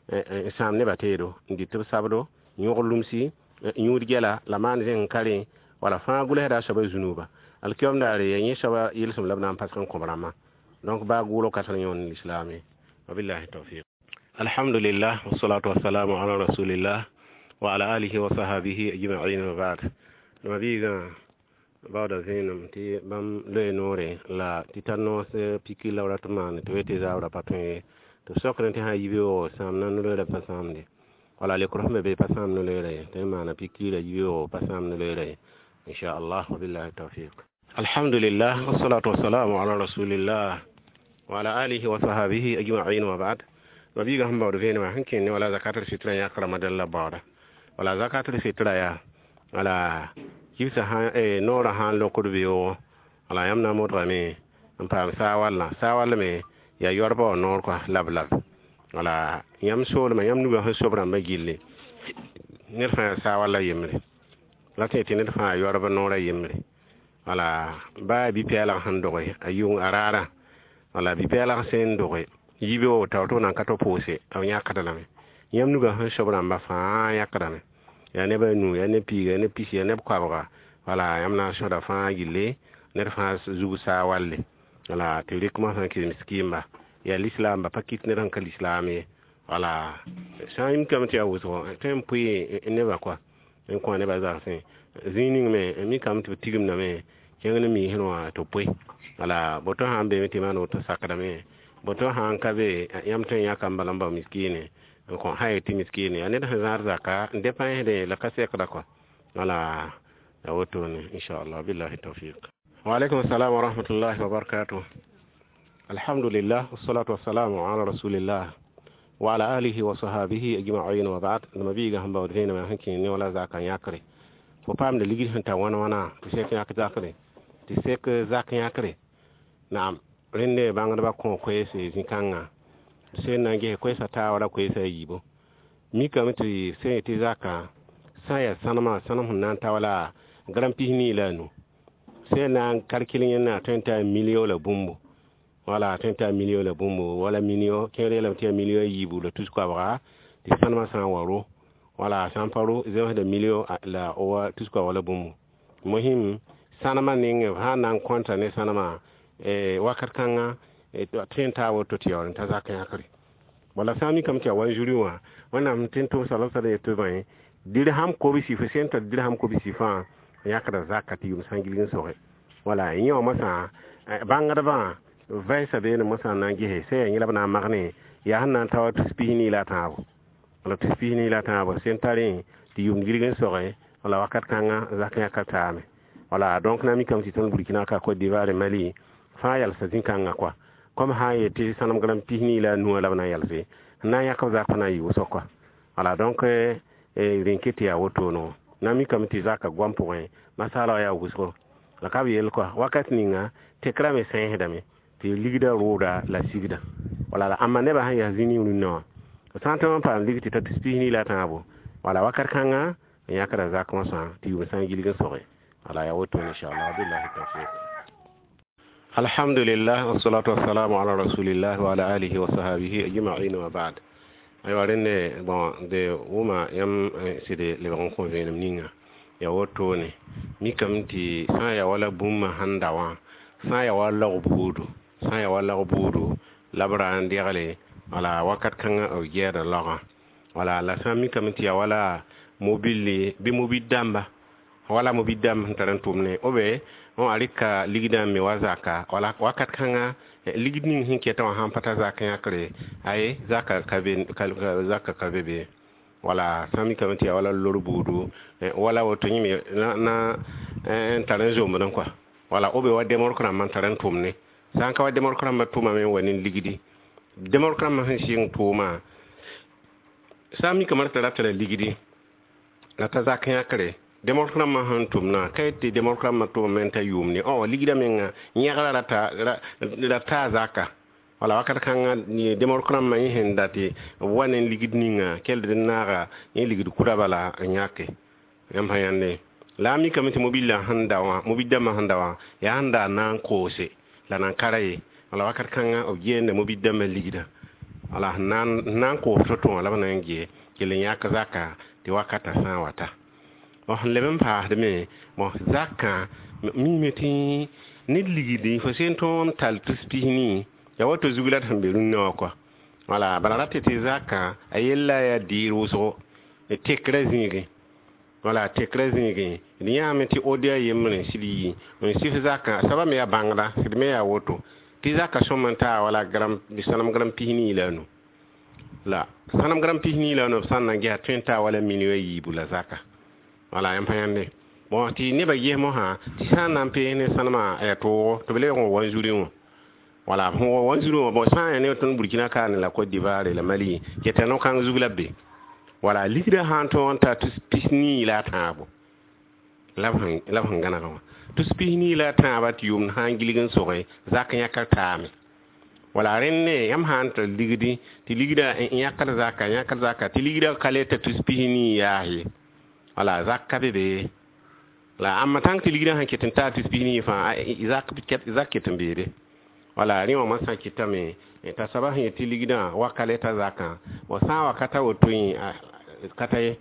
n sãam nebã teedo n dɩt b sabdo yõg lumsi yũud gɛla la maan zẽng n ka rẽ wala fãa gʋlsda a soaba zũnuba alkiyom daare ya yẽ soaba yelsem la b na n pasg n kõb rãmbã. Donc baa gʋʋlg ka tar yõon lislaam ye. Wabillahi tawfiq. Alhamdulillah wassalatu wassalamu ala rasulillah wa ala alihi wa sahabihi ajma'in wa ba'd. Mabiigã baooda vẽenem tɩ bãmb loe noore la tɩ tar noos piki la b rat n maane tɩ b tɩ zaabra pa tõe ye tɩ b sokdẽ tɩ sã n yi beoogo sãam na no-loeerã pa sãamde wala lekr sẽn be be pa sãam no-loeerã ye tɩ maana pikiirã yi beoogo pa sãam no-loeerã ye inchallah wabillahi tawfiq. Alhamdulillah wassalatu wassalamu ala rasulillah wa ala alihi wa sahabihi ajma'in wa ba'd. Mabiigã sẽn baood vẽenemã sẽn kẽnd ne wala zakatul fitra yãk ramadan la baooda wala zakatul fitra yaa wala kibsã noorã sã n lokd beoogo wala yãmb na n modgame n paam saawallã saawall me yaa yoarbã wã noor kɔa lab lab wala yãmb soolmã yãmb nugã sẽn sob rãmbã gilli ned fãa yaa saawalla yembre la tẽ tɩ ned fãa yoarb noorã yembre wala baa bi-pɛɛlg sẽn doge a yʋng a raarã wala bi-pɛɛlg sẽn doge yibeoogo tao tɩ b nan ka tɩ pʋʋse b yãkd lame yãmb nugã sẽn sob rãmbã fãa yãkdame yaa neb a nu yaa neb piiga yaa neb pisi yaa neb koabga wala yãmb na n sõda fãa gilli ned fãa zug saawalle wala tɩ rɩk mosã kɩ miskiimba yaa lislaamba pa kɩt ned sẽn ka lislaam ye wala sã n mikame tɩ yaa wʋsgo tõe n pʋɩ nebã kɔa n kõ nebã zagsẽ zĩig ning me mikame tɩ b tigimdame kẽng ne miisẽ wã tɩ pʋɩ wala boto sã n beeme tɩ maan woto sakdame boto sã n ka be yãmb tõe n yãka n bala n bao miskiine n kõ sã yetɩ miskiine yaa ned sẽn zãad zaka n dẽpãsdẽ la ka sekda kɔa wala ya wotone inchallah billahi tawfiq. Wa alaikum assalam wa rahmatullahi wa barakatuh. Alhamdulillah wassalatu wassalamu ala rasulillah wa ala alihi wa sahabihi ajma'in wa ba'd. Mabiigã sẽn baood vẽenemã sẽn kẽ ne wala zaka n yãkre fo paamda ligd sẽn ta wãn wãna tɩ sek yãk zakre tɩ sek zak yãkre naam rẽnde bãngdbã kõ koeese zĩ-kãngã sẽn na n ges koɛɛsã taaba la koɛɛsã a yiibu mikame tɩ sẽn yetɩ zaka sã n yaa sãnemã sãnem sẽn na n ta wala gram 25 la a nu sẽn na n kalkil yẽnna tõe n taa million la bũmbu wala tõe n taa million la bũmbu wala million kẽer yeelame tɩ yaa million a yiibu la tus koabga tɩ sãnemã sã n wa ro wala sã n pa ro zemsda million la wa tus koabga la bũmbu mosĩm sãnemã ning b sã n na n kõnta ne sãnemã wakat kãngã tõe n taa woto tɩ yaool n ta zak yãkre wala sã n mikame tɩ yaa wanzuri wã wẽnnaam tɩ n tʋm sala sala yetɩ bõe dirham kobsi fo sẽn tar dirham kobsi fãa yãkda zaka tɩ yʋm sã n gilg n soge wala yẽ wã mosã bãngdbã vɛɛsa beene mosã n na n gese sẽn yaa yẽ la b na n magne yaa sẽn na n ta wa tus 24 la a tãabo wala tus 24 la a tãabo sẽn tarẽ tɩ yʋm gilg n soge wala wakat kãngã zak yãka taame wala donc na mikame tɩ tõnd Burkina ka Côte d'Ivoire Mali fãa yalsa zĩ-kãngã kɔa comme sã n yetɩ sãnem gram 24 la a nuwã la b na n yalse n na n yãk b zak na n yɩ wʋsg kɔa wala donc rẽn ket tɩ yaa wotone na mikame tɩ zaka goam pʋgẽ masaala wã yaa wʋsgo la ka b yel kɔa wakat ninga tekrã me sẽesdame tɩ ligdã rʋʋda la sigda wala la ãmba nebã sẽn yaa zĩ ning rũnnã wã sã n tõe n paam ligd tɩ ta tus 24 la a tãabo wala wakat kãngã n yãkda zak mosã tɩ yʋm sã n gilg n soge wala yaa wotone inchallah billahi tawfiq. Alhamdulillah wassalatu wassalamu ala rasulillah wa ala alihi wa sahabihi ajma'in wa ba'd. Aywa rẽnde bon de wʋma yãmb sɩd lebg n kõ vẽenem ninga ya wotone mikame tɩ sã n yaa wala bũmba sẽn da wã sã n yaa wa laog buudu sã n yaa wa laog buudu la b ra n degle wala wakat kãngã b gɛɛda laogã wala la sã n mikame tɩ yaa wala mobile bɩ mobil dãmba wala mobil dãmb sẽn tar n tʋmne obe wã rɩka ligdã n me wa zaka wala wakat kãngã ligd ning sẽn kɛtã wã sãn pa ta zak yãkre aye zaka ka be zaka ka be be Wala sã n mikame tɩ yaa wala lor buudu, wala woto yẽ me na n tar n zombdẽ kɔa. Wala b be wa demork rãmbã n tar n tʋmne. Sã n ka wa demork rãmbã tʋmame n wa ne ligdi. Demork rãmbã sẽn sɩng tʋʋmã, sã n mikame tɩ ra tara ligdi la t'a zak yãkre, demork rãmbã sẽn tʋmna, ka yet tɩ demork rãmbã tʋmame n ta yʋʋmne. Ligdã menga yẽgra ra taa zaka. Wala wakat kãngã demork rãmbã yẽ sẽn dat b wa ne ligd ninga keld n naaga yẽ ligd kʋda bala n yãke. Yãmb sã yãnde. La a mikame tɩ mobillã sẽn da wã, mobil dãmbã sẽn da wã, yaa sẽn da na n koose la nan ka ra ye. Wala wakat kãngã b geenda mobil dãmbã ligdã. Wala sẽn na n koos to-to wã la b na n gee kell n yãk zaka tɩ wakatã sã n wa ta. Sẽn leb n paasdme, bõ zakã miime tɩ ned ligdi fo sẽn tõog n tall tus pis-nii ya woto zug la d sẽn be rũnnã wã kɔa. Wala bala ra tɩ tɩ zakã a yella yaa dɩɩr wʋsgo tekrã zĩigẽ. Wala tekrã zĩigẽ d yãame tɩ ODA yembre sɩd yi n sɩf zakã soaba me yaa bãngda sɩd me yaa woto tɩ zakã sõm n taa wala gram sõnem gram pis-nii la a nu. La sõnem gram pis-nii la a nu b sã n na n gesa tõe n taa wala million yiibu la zaka. Wala yãmb pa yãnde. Bõ tɩ nebã ges mosã tɩ sã n na n pees ne sõnema a toogo tɩ b lebg n wa wanzuri wã. Wala sẽn wa wanzuri wã, bõ sã n yaa ne tõnd Burkina kaane la Côte d'Ivoire la Mali keta no-kãng zug la b be. Wala ligdã sã n tõog n ta tus pis-nii la a tãabo la b sẽn gãneg wã. Tus pis-nii la a tãabã tɩ yʋʋmd sã n gilg n sogẽ zak yãkr taame. Wala rẽnd yãmb sã n tar ligdi tɩ ligdã yãkd zaka yãkd zaka tɩ ligdã ka le t'a tus pis-nii yaas ye. Wala zak ka be be. La ãmba tãng tɩ ligdã sẽn ket n taa tus pis-nii fãa zak ket n beede. Wala rẽ wã moasã kɩtame t'a soaba sẽn yet tɩ ligdã wa ka le t'a zakã, bõ sã n wa ka ta woto yẽ ka ta ye.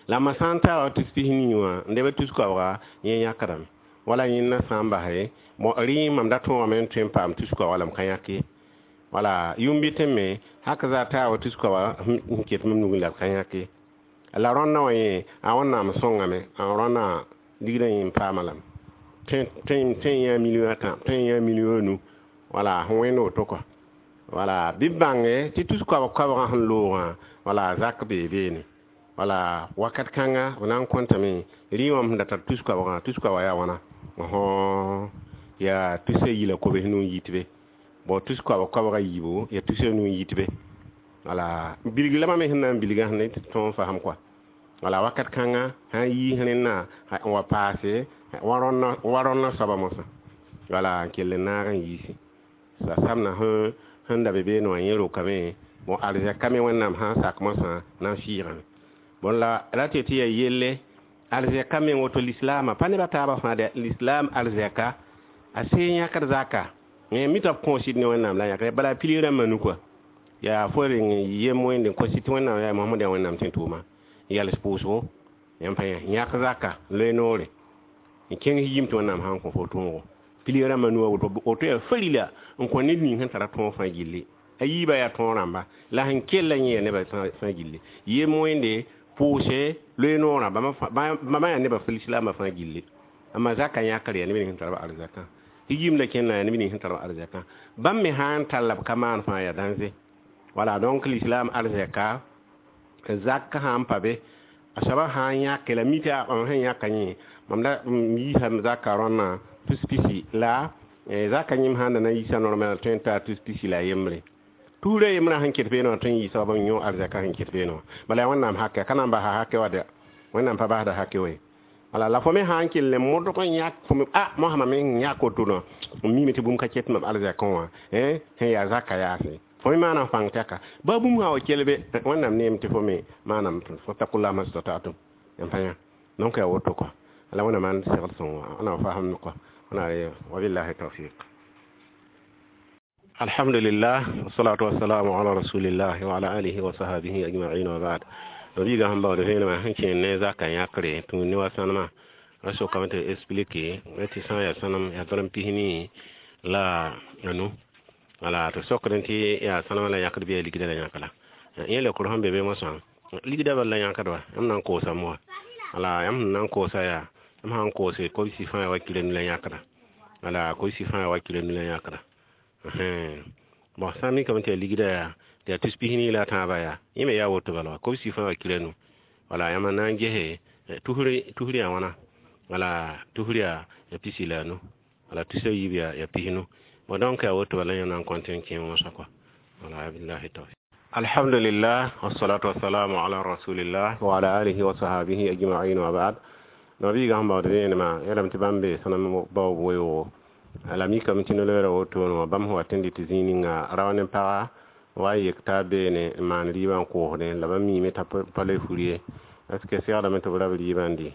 La ma sã n taa wa tus pis-nii wã n leb tus koabga yẽ yãkdame. Wala yẽnda sã n base bõ rẽ mam da tõogame n tõe n paam tus koabga la m ka yãk ye. Wala yʋm-bɩtẽ me hak zaa taa wa tus koabga n ket mam nugẽ la b ka yãk ye. La rõndã wã yẽ a Wẽnnaam sõngame, a rõndã ligdã yẽ n paama lame. Tõe n yã million ãtã, tõe n yã million anu. Wala sẽn wẽnd woto kɔa. Wala bɩ b bãnge tɩ tus koabg koabgã sẽn loogã wala zak bee beene. Wala wakat kãnga b na n kõtame rɩ wã sẽn da tar tus koabgã, tus koabga yaa wãna? Yaa tusa yi la kobs nu n yit be. Bõ tus koabg koabga yiibu yaa tusa nu n yit be. Wala bilg la mam me sẽn na n bilgã sẽn tɩ tõog n fasem kɔa. Wala wakat kãnga sã n yiis rẽnnã n wa paase wa rõndã soaba mosã. Wala n kell n naag n yiisi. La samna sẽn da be beene wã yẽ rokame bõ arzɛka me Wẽnnaam sã n sak mosã na n sɩɩgame. Bõn la ra tɩ tɩ yaa yelle arzɛka meng woto lislaamã pa nebã taabã fãa de lislaam arzɛka a see yãkd zaka. Mi t'a b kõos ne Wẽnnaam la yãkr bala pilig rãmbã nu kɔa. Yaa fo reng yem wẽnde n kos tɩ Wẽnnaam yaa Mohamad yaa Wẽnnaam tẽ tʋʋma yals pʋʋsgo yãmb pa yã yãk zaka loe noore n kẽng yim tɩ Wẽnnaam sã n kõ fo tõogo. Pilig rãmbã nu woto woto yaa farila n kõ ned ning sẽn tara tõog fãa gilli. A yiibã yaa tõog rãmba la sẽn kella yẽ yaa nebã fãa gilli. Yem wẽnde pʋʋse loe noorã bãmba yaa nebã lislaambã fãa gilli. Amma zaka yãkr yaa neb ning sẽn tar b arzakã. Tɩ yim la kẽnna yaa neb ning sẽn tar b arzakã. Bãmb me sã n tall la b ka maan fãa yaa dãnze. Wala donc l'islam arzaka zak sã n pa be a soaba sã n yãke la mi tɩ mam sẽn yãka yẽ mam da yiisame zaka rõnnã tus pisi la zaka yẽm sãn da na n yiisa normal tõe n taa tus pisi la yembre. Tuurã yembrã sẽn ket beene wã tõe n yiisa wa b yõ arzɛka sẽn ket beene wã. Bala yaa Wẽnnaam hake ka na n basa hake wa dɛ. Wẽnnaam pa basda hake wa ye. Wala la fo me sã n kell n modg n yãk fo me mosã mam me yãk woto nõ n miime tɩ bũmb ka ket mam arzɛkẽ wã sẽn yaa zaka yaase. Fo me maana fãng tɛka. Ba bũmb sã wa kell be Wẽnnaam neem tɩ fo me maanam fattakullah mastata'tum. Yãmb pa yã. Donc yaa woto kɔa. La Wẽnnaam maan segd sõngo wẽnnaam fasem kɔa. Wẽnnaam wabillahi tawfiq. Alhamdulillah, wassalatu wassalamu ala rasulillah wa ala alihi wa sahbihi ajma'in wa ba'd. Biiga sẽn baood vẽenemã sẽn kẽer ne zaka yãkre tũ ne wa sõnema ra sokame tɩ explique tɩ sã n yaa sõnem yaa gram pis-nii la anu. Wala tɩ sokdẽ tɩ yaa sõnema la yãkd bɩ yaa ligdã la yãk la. Yẽ leokr sẽn be be mosã ligdã bal la yãkd wa yãmb na n koosame wa. Wala yãmb sẽn na n koosa yaa yãmb sã n koose kobsi fãa wa kilo nu la yãkda. Wala kobsi fãa wa kilo nu la yãkda. Bõn sã n mikame tɩ yaa ligdã yaa Tɩ yaa tus pis nii la a tãabã yaa yẽ me yaa woto bala wa kobsi fãa wa kila nu. Wala yãmb na n gese tusr yaa wãna wala tusr yaa pisi la a nu wala tusa yiib yaa pisnu. Bon, donc yaa woto bala yãmb na n kõt n kẽ wãsã kɔa. Wala billahi tawfiq. Alhamdulillah, wassalatu wassalamu ala rasulillah wa ala alihi wa sahabihi ajma'in wa ba'd. Nabiiga sẽn baood vẽenemã yeelame tɩ bãmb bee sõnem baoob weoogo la mikame tɩ no-loeera wotone wã bãmb sẽn wat n dɩt zĩig ninga rao ne paga wa n yek taab beene n maan rɩɩbã n koosdẽ la bãmb miime t'a pa le fur ye. Est ce que segdame tɩ b rab rɩɩbã n dɩ?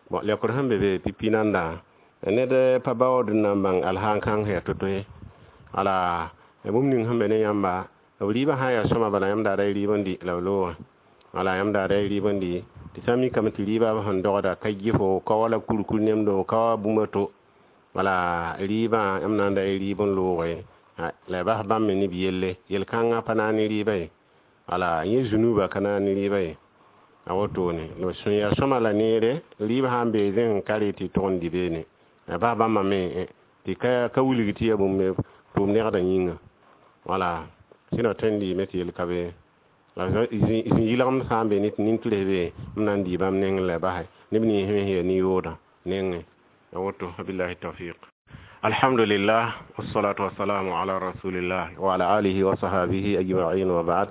Bon, lekr sẽn be be pipi nanda ned pa baood n na n bãng alhaan kãng sẽn yaa to-to ye. Ala bũmb ning sẽn be ne yãmba b rɩɩbã sã n yaa sõma bala yãmb daada y rɩɩb n dɩ la b loogã. Wala yãmb daada y rɩɩb n dɩ tɩ sã n mikame tɩ rɩɩbã b sẽn dogda ka gɩfo ka wala kurkur nemdo ka wa bũmb to. Wala rɩɩbã yãmb na n da y rɩɩb n looge la y bas bãmb me ne b yelle yel-kãngã pa naag ne rɩɩbã ye. Wala yẽ zunuba ka naag ne rɩɩbã ye. A wotone la sẽn yaa sõma la neere rɩɩb sã n bee zẽng ka rɩ tɩ tʋg n dɩ beene. La bas bãmba me tɩ ka wilg tɩ yaa bũmb tʋʋm negdã yĩnga. Wala sẽn tõe n dɩɩme tɩ yel ka be. La zĩ-yɩlgemd sã n be ne tɩ nin-tʋrs be m na n dɩɩ bãmb nengẽ la basɛ neb nins me sẽn yaa nin-yoodã nengẽ. A woto billahi tawfiq. Alhamdulillah, wassalatu wassalamu ala rasulillah wa ala alihi wa sahabihi ajma'in wa ba'd.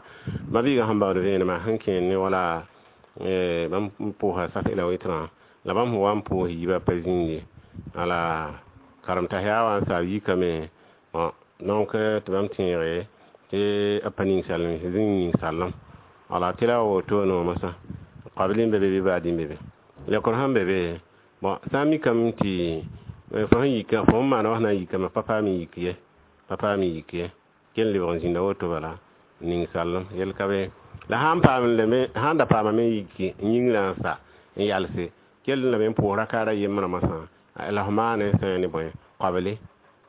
Mabiiga sẽn baood vẽenemã sẽn kẽer ne wala bãmb n pʋʋsa saf-ela wɩtrã la bãmb sẽn wa n pʋʋs yiibã pa zĩnd ye. Wala karem-tã yaa wa n saab yikame. Donc tɩ bãmb tẽege tɩ b pa ninsal zĩng ninsaalem. Wala tɩ la wa wotone wã moasã qabl n be be bɩ baad n be be. Lekr sẽn be be, bon, sã n mikame tɩ fo sẽn yika fo sẽn maana wã sẽn na n yikame pa paam n yik ye, pa paam n yik ye. Kell lebg n zĩnda woto bala ninsaalem yel ka be. La sãn paam lame sãn da paamame n yiki n yĩngrã n sa n yalse kell lame n pʋʋs rakaara yembrã moasã la f maane n sã ne bõe qabli.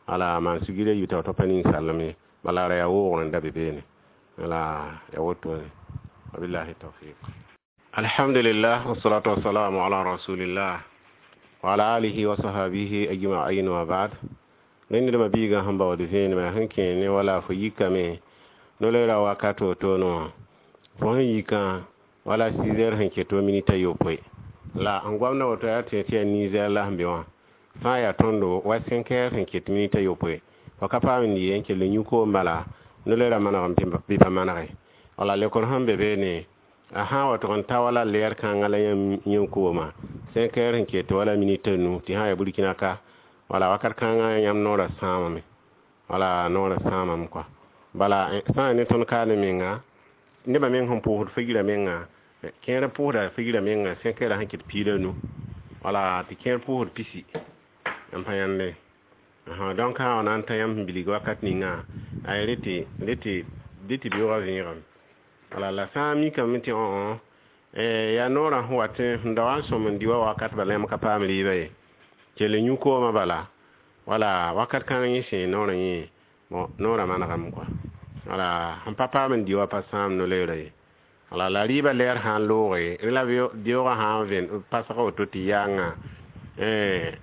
Wala maan sugr a yiib t'a pa ninsaalem ye. Bala ra yaa woogr n da be beene. Wala yaa wotone. Wabillahi tawfiq. Alhamdulillah, wassalatu wassalamu ala rasulillah wa ala alihi wa sahabihi ajma'in wa ba'd. Rẽnd biigã sẽn baood vẽenemã sẽn kẽer ne wala fo yikame no-loeera wakat wotone wã fo sẽn yikã wala 6 heures sẽn ket minit a yopoe la n goamda woto yaa tɩ yaa ninsɛɛr la sẽn be wã fãa yaa tõndo wa 5 heures sẽn ket minit a yopoe fo ka paam n dɩ ye n kell n yũ koom bala no-loeera manegame bɩ pa manege. Wala lekr sẽn be beene a sã n wa tʋg n ta wala lɛɛr kãngã la yãmb kooma 5 heures sẽn ket wala minit a nu tɩ sã n yaa burkina ka wala wakat kãngã yãmb noorã sãamame. Wala noorã sãamame kɔa. Bala sã n ne tõnd kaane menga nebã meng sẽn pʋʋsd fagira menga kẽer pʋʋsda fagira menga 5 heures sẽn ket piig la nu. Wala tɩ kẽer pʋʋsd pisi n pa yãnde. Donc sã n na n ta yãmb sẽn bilg wakat ninga ay rete rete tɩ beoogã vẽegame. Wala la sã n mikame tɩ yaa noorã sẽn wat n da wa n sõm n dɩ wa wakat bala yãmb ka paam rɩɩbã ye. Kell n yũ koomã bala wala wakat kãng yẽ sẽe noorã yẽ bon noorã manegame kɔa. Wala sẽn pa paam n dɩ wa pa sãam no-loeera ye. Wala la rɩɩbã lɛɛr sã n looge rẽ la beoogã sã n vẽn pasg woto tɩ yaanga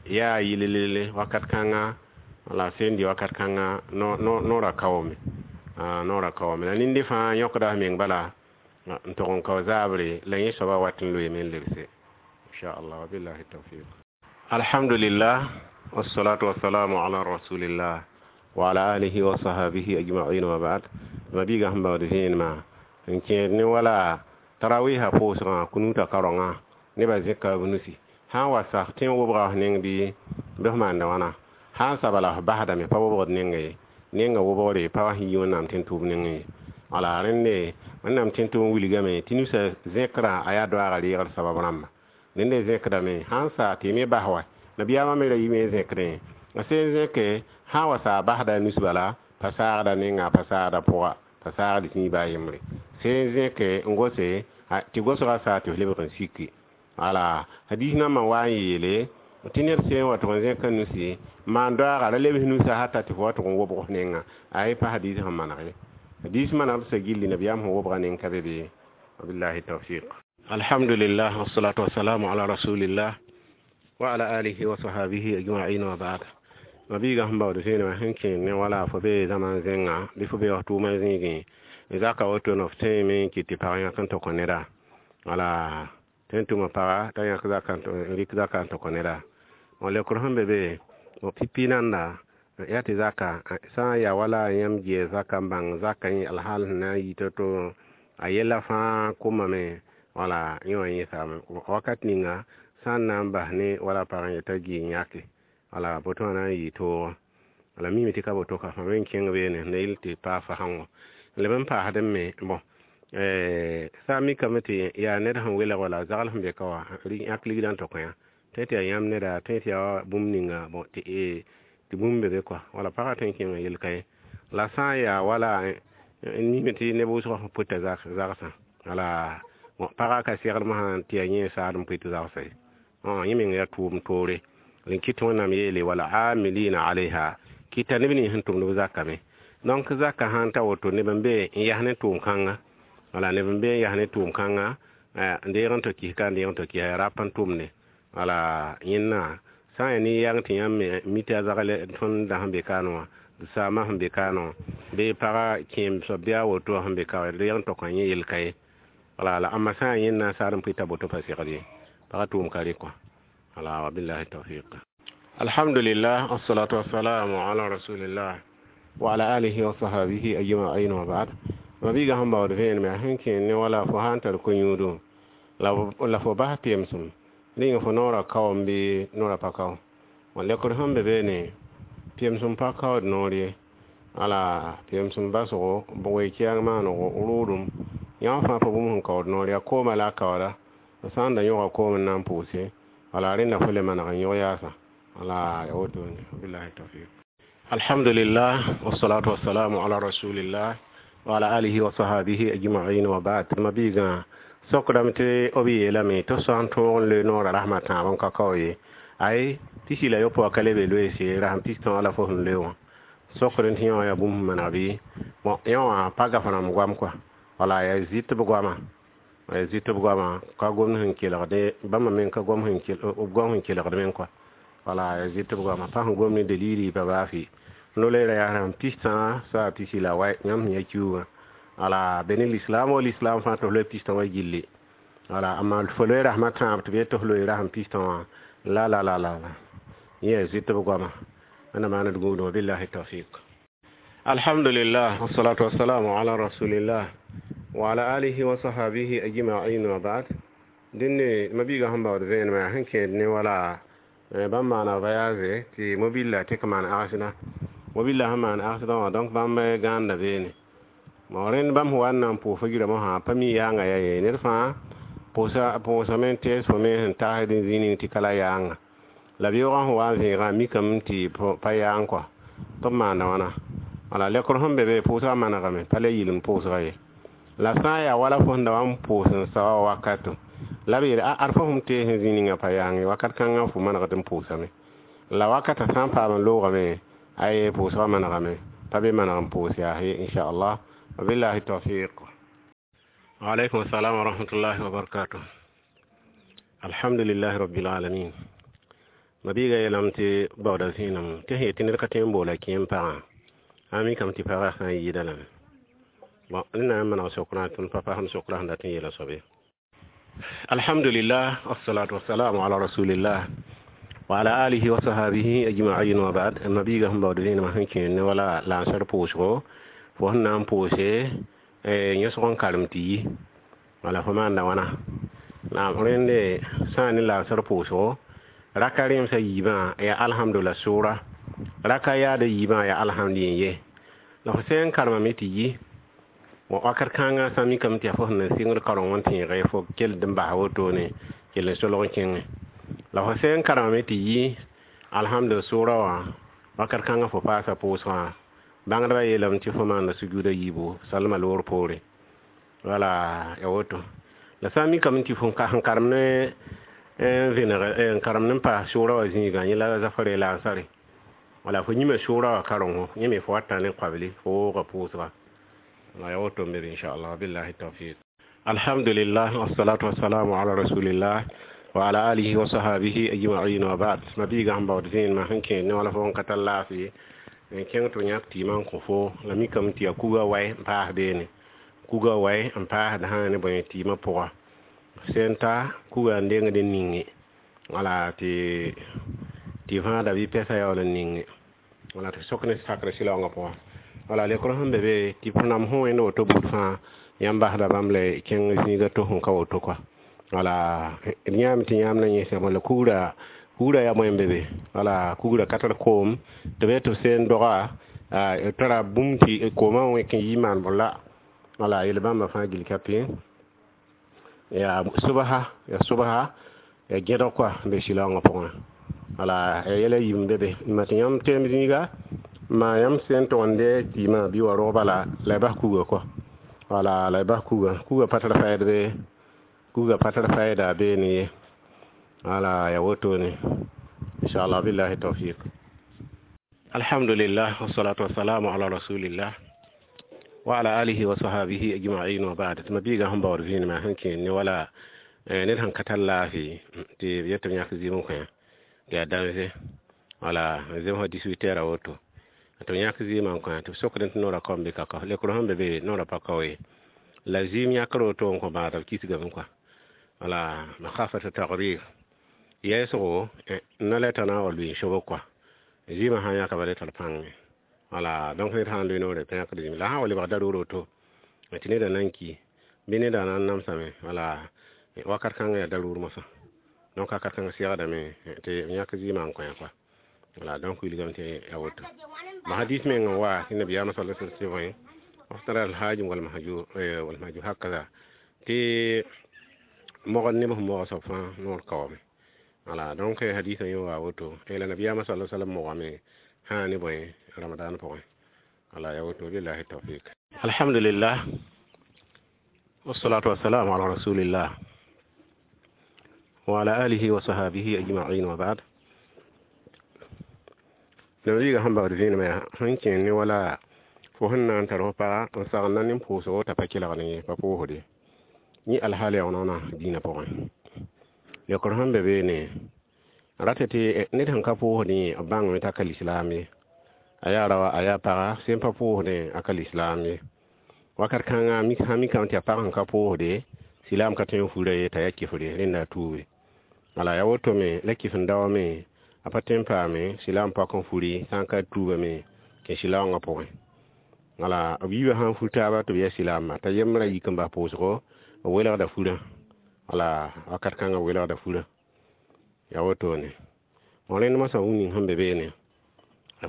yaa yɩl-lele wakat kãnga wala sẽn dɩ wakat kãnga noorã kaoome. Noorã kaoome. La ninde fãa yõkda f meng bala n tʋg n kao zaabre la yẽ soabã wat n loeeme n lebse. Inchallah wabillahi tawfiq. Alhamdulillah, wassalatu wassalamu ala rasulillah wa ala alihi wa sahabihi ajma'in wa ba'd. Mabiiga sẽn baood vẽenemã n kẽer ne wala tarawiisã pʋʋsgã kunuutã karongã nebã zẽka b nusi. Sã n wa sak tẽ n wobga f neng bɩ f maanda wãna sã n sa bala f basdame pa wobgd nengã ye. Nengã wobgre pa wa sẽn yi wẽnnaam tẽn tʋʋm nengẽ ye. Wala rẽnde wẽnnaam tẽn tʋʋm wilgame tɩ nusã zẽkrã a yaa doaaga reegr sabab rãmba. Rẽnde zẽkdame sã n sa tɩ y me bas wa nabiyaamã me ra yime n zẽkdẽ a sẽn zẽke sã n wa sa a basda a nus bala pa saagda nengã pa saagda pʋga pa saagd zĩig baa yembre. Sẽn zẽke n gose tɩ gosgã saa tɩ f lebg n siki. Wala hadis nambã wa n yeele tɩ ned sẽn wa tʋg n zẽka nusi maan doaaga ra lebs nusã hata tɩ fo wa tʋg n wobg f nengã a ye pa hadis sẽn maneg ye. Hadis manegd sã gilli nabiyaam sẽn wobga neng ka be be. Wabillahi tawfiq. Alhamdulillah, wassalatu wassalamu ala rasulillah wa ala alihi wa sahabihi ajma'in wa ba'd. Mabiiga sẽn baood vẽenemã sẽn kẽer ne wala fo bee zãma zẽnga bɩ fo bee wa tʋʋmã zĩigẽ Zaka woto no f tẽeme n kɩt tɩ pag yãk n tɩ kõ neda. Wala tɩ n tʋma paga t'a yãk zaka n rɩk zaka n tɩ kõ neda. Lekr sẽn be be pipi nanda yaa tɩ zaka sã n yaa wala yãmb gɩ zaka n bãng zaka yẽ alhaal sẽn na n yɩ to-to a yɛla fãa komame. Wala yẽ wã yẽsame wakat ninga sã n na n bas ne wala pag n yeta gɩ n yãke. Wala boto wã na n yɩ toogã. Wala mime tɩ ka boto ka fãa me n kẽng beene ne yel tɩ paa fasẽngo leb n paasdẽ me. Bõn sã n mikame tɩ yaa ned sẽn welg wala zagl sẽn be ka wã yãk ligdã n tɩ kõ yã tõe tɩ yaa yãmb neda, tõe tɩ yaa bũmb ninga bõn tɩ bũmb be be kɔa. Wala pagã tõe n kẽnga yel-ka ye. La sã n yaa wala n mime tɩ neb wʋsgã sẽn pʋta zagsã, wala pagã ka segd mosã tɩ yaa yẽ saad n pʋɩt zagsã ye. Yẽ meng yaa tʋʋm toore n kɩt Wẽnnaam yeele wala amilina alayha kɩta neb nins sẽn tʋmd b zakame. Donc zaka sãn ta woto neb n be n yas ne tʋʋm-kãnga. Wala neb n be n yas ne tʋʋm-kãnga n deeg n tɩ kis ka n deeg n tɩ kis rap n tʋmde. Wala yẽnna sã n yaa nin-yãng tɩ yãmb me mi tɩ a zagl tõnd da sẽn be kaane wã saamã sẽn be kaane wã bɩ paga kẽem soab bɩ a woto wã sẽn be ka deeg n tɩ kõ yẽ yel-ka ye. Wala la ãmba sã n yaa yẽnna saad n pʋɩta boto pa segd ye, pagã tʋʋm ka rɩ kɔa. Wala wabillahi tawfiq. Alhamdulillah, wassalatu wassalamu ala rasulillah wa ala alihi wa sahbihi ajma'in wa ba'd. Mabiiga sẽn baood vẽenem yaa sẽn kẽer ne wala fo sã n tar ko-yũudo la fo bas pemsem ning fo noorã kaoom bɩ noorã pa kao. Lekr sẽn be beene pemsem pa kaood noor ye. Wala pemsem basgo we-kɛɛng maanego rʋʋdem yã fãa pa bũmb sẽn kaood noor yaa koomã la a kaooda sã n da yõga koom n na n pʋʋse. Wala rẽnda fo le maneg n yõg yaasã. Wala ya wotone, billahi tawfiq. Alhamdulillah, wassalatu wassalamu ala rasulillah wa ala alihi wa sahbihi ajma'in wa ba'd. Mabiiga sokdame tɩ b yeelame tɩ sã n tõog n loe noorã rasmã tãab n ka kao ye. Ay pisi la yopoa ka le be loeese rasem pistõ la fo sẽn loe wã sokd tɩ yẽ wã yaa bũmb sẽn maneg bɩ. Bõn yẽ wã pa gaf rãmb goam kɔa. Wala yaa zɩt b goama, yaa zɩt b goama ka gomd sẽn kelgde bãmba meng ka gom sẽn kelgd meng kɔa. Wala yaa zɩt b goama pa sẽn gom ne dalili pa baa fɩ no-loeera yaa rasem pistã saa pisi la wa yãmb sẽn ya kiuugã. Wala be ne lislaam wa lislaam fãa tɩ f loe pistã wã gilli. Wala amma fo loe rasmã tãab tɩ b yet tɩ f loe rasem pistã wã la la la la yẽ yaa zɩt b goama. Wẽnnaam maand gũudum, billahi tawfiq. Alhamdulillah, wassalatu wassalamu ala rasulillah wa ala alihi wa sahbihi ajma'in wa ba'd. Dẽnne mabiiga sẽn baood vẽenemã yaa sẽn kẽed ne wala bãmb maana voyage tɩ mobila tɩ k maan agsda mobila sẽn maan agsdã wã. Donc bãmb gãanda beene rẽnd bãmb sẽn wa n na n pʋʋs fo yirã mosã pa mi yaanga yaa ye ned fãa pʋʋsame n tees fo me sẽn tagsd zĩig ning tɩ ka la yaanga la beoogã sẽn wa n vẽegã mikame tɩ pa yaang kɔa tɩ b maanda wãna. Wala lekr sẽn be be pʋʋsgã manegame pa le yɩl n pʋʋsga ye. La sã n yaa wala fo sẽn da wa n pʋʋs n saoa wakato la b yeel ad fo sẽm tees n zĩig ninga pa yaang wakat kãngã fo manegd n pʋʋsame. La wakatã sã n paam n loogame ay pʋʋsgã manegame pa be maneg n pʋʋs yaa ye inchallah, wabillahi tawfiq. Waalaikum assalam wa rahmatullahi wa barakatuh. Alhamdulillahi rabbil alamin. Mabiiga yeelame tɩ baooda zĩenam tɩ sẽn yetɩ ned ka tõe n boola kẽem pagã a mikame tɩ pagã sã n yɩɩda lame. Bon, ned na n maneg sokrã tɩ m pa pasem sokrã sẽn dat n yeela soab ye. Alhamdulillah, wassalatu wassalamu ala rasulillah wa ala alihi wa sahbihi ajma'in wa ba'd. Mabiiga sẽn baood vẽenemã sẽn kẽer ne wala lansar pʋʋsgo fo sẽn na n pʋʋse yõsg n karem tɩ yi wala fo maanda wãna. La rẽnde sã n ne lansar pʋʋsgo raka rẽemsã yiibã yaa alhamdulillah sʋʋra raka yaada yiibã yaa alhamdu ye. La fo sẽn karemame tɩ yi wakat kãngã sã mikame tɩ yaa fo sẽn na sɩngd kareng n tẽege fo kell n bas wotone kell n solg n kẽngẽ. La fo sẽn karemame tɩ yi alhamdulillah sʋʋra wã wakat kãngã fo paasa pʋʋsgã bãngdbã yeelame tɩ fo maanda sujuuda yiibu salma loor poore. Wala ya woto. La sã n mikame tɩ fo sẽn karem ne n vẽneg n karem n paas sʋʋra wã zĩigã yẽ la zafare la ansare. Wala fo yĩma sʋʋra wã karengo yẽ me fo wata ne koabli fo wooga pʋʋsga. La ya woto n be inchallah, billahi tawfiq. Alhamdulillah, wassalatu wassalamu ala rasulillah wa ala alihi wa sahbihi ajma'in wa ba'd. Mabiiga sẽn baood vẽenemã sẽn kẽer ne wala fo n ka tar laafɩ n kẽng tɩ b yãk tɩɩmã n kõ fo la mikame tɩ yaa kuga wae n paas beene. Kuga wai n paasd sã ne bõe tɩɩmã pʋga sẽn ta kuga n dengd n ninge wala tɩ võada bɩ pɛsã yaool n ninge wala tɩ sok ne sakr sɩlaoongã pʋgã wala lekr sẽn be be tɩ f nam sẽn wẽnd woto buud fãa yãmb basda bãmb la y kẽng zĩiga to sẽn ka woto kɔa wala d yãame tɩ yãmb na yẽsã wala kugra kugra yaa bõe n be be wala kugra ka tar koom tɩ b tɩ b seen doga tara bũmb tɩ koomã wẽk n yi maan bõ la wala yel bãmba fãa gill ka pẽ yaa sobsa ya gẽdg kɔa n be sɩlaoongã pʋgẽ wala ya yɛla yiib n be be ma tɩ yãmb teem zĩiga ma yãmb sẽn tʋg n dee tɩɩmã bɩ wa rog bala la y bas kuga kɔa wala la y bas kuga kuga pa tar faɛd be kuga pa tar faɛda beene ye wala ya wotone inshallah billahi tawfiq. Alhamdulillah wassalatu wassalamu ala rasulillah wa ala alihi wa sahbihi ajma'in wa ba'd. Tɩ mabiigã sẽn baood vẽenemã sẽn kẽer ne wala ned sẽn ka tar laafɩ tɩ b yet tɩ b yãk zɩɩm n kõ tɩ yaa dãnze wala zem sã 18 heures a woto tɩ b yãk zɩɩmã n kõ tɩ b sokdẽ tɩ noorã kaom bɩ ka kao lekr sẽn be be noorã pa kao ye la zɩɩm yãkr woto n kõ bãadb kisgame kɔa wala makhafata tagrir yɛɛsgo na la t'a na n wa lʋɩ n sobg kɔa zɩɩmã sã n yãka bala tar pãnge wala donc ned sã n lʋɩ noore pa yãkd zĩm la sã n wa lebg daroor woto tɩ neda na n ki bɩ neda na n namsame wala wakat kãngã yaa daroor mosã donc wakat kãngã segdame tɩ b yãk zɩɩmã n kõ kɔa wala donc wilgame tɩ ya woto ma hadis meng n wa tɩ nabiyaamã sal tɩ bõe aftara alhajim walmahjur walmahjur hakaza tɩ mogd neb sẽn moga soab fãa noor kaoome wala donc hadisã yẽ wa woto la nabiyaamã sal sallam mogame sã ne bõe ramadan pʋgẽ wala ya woto billahi tawfik. Alhamdulillah wassalatu wassalamu ala rasulillah wa ala alihi wa sahbihi ajma'in wa ba'd. Nabiga sẽn bagd vẽenemã yaa sẽn kẽ ne wala fo sẽn na n tar fo paga n sagenda nin pʋʋsgo t'a pa kelgd ye pa pʋʋsde yẽ alhaal yaoonã dĩinã pʋgẽ lekr sẽn be beene rata tɩ ned sẽn ka pʋʋsdẽ b bãngame t'a ka lislaam ye a yaa raoa a yaa paga sẽn pa pʋʋsdẽ a ka lislaam ye wakat kãngã sã mikame tɩ yaa pag sẽn ka pʋʋsde silaam ka tõe n fura ye t'a yaa kɩfre rẽnda a tuube wala yaa wotome la kɩf n daoame a pa tõe n paame silaam pak n furi sã n ka tuubame kẽ silaoongã pʋgẽ wala b yiibã sã n fur taaba tɩ b yaa silaamã t'a yembrã yik n bas pʋʋsgo b welgda furã wala wakat kãngã b welgda furã yaa wotone bõn rẽnd mosã wũ ning sẽn be beene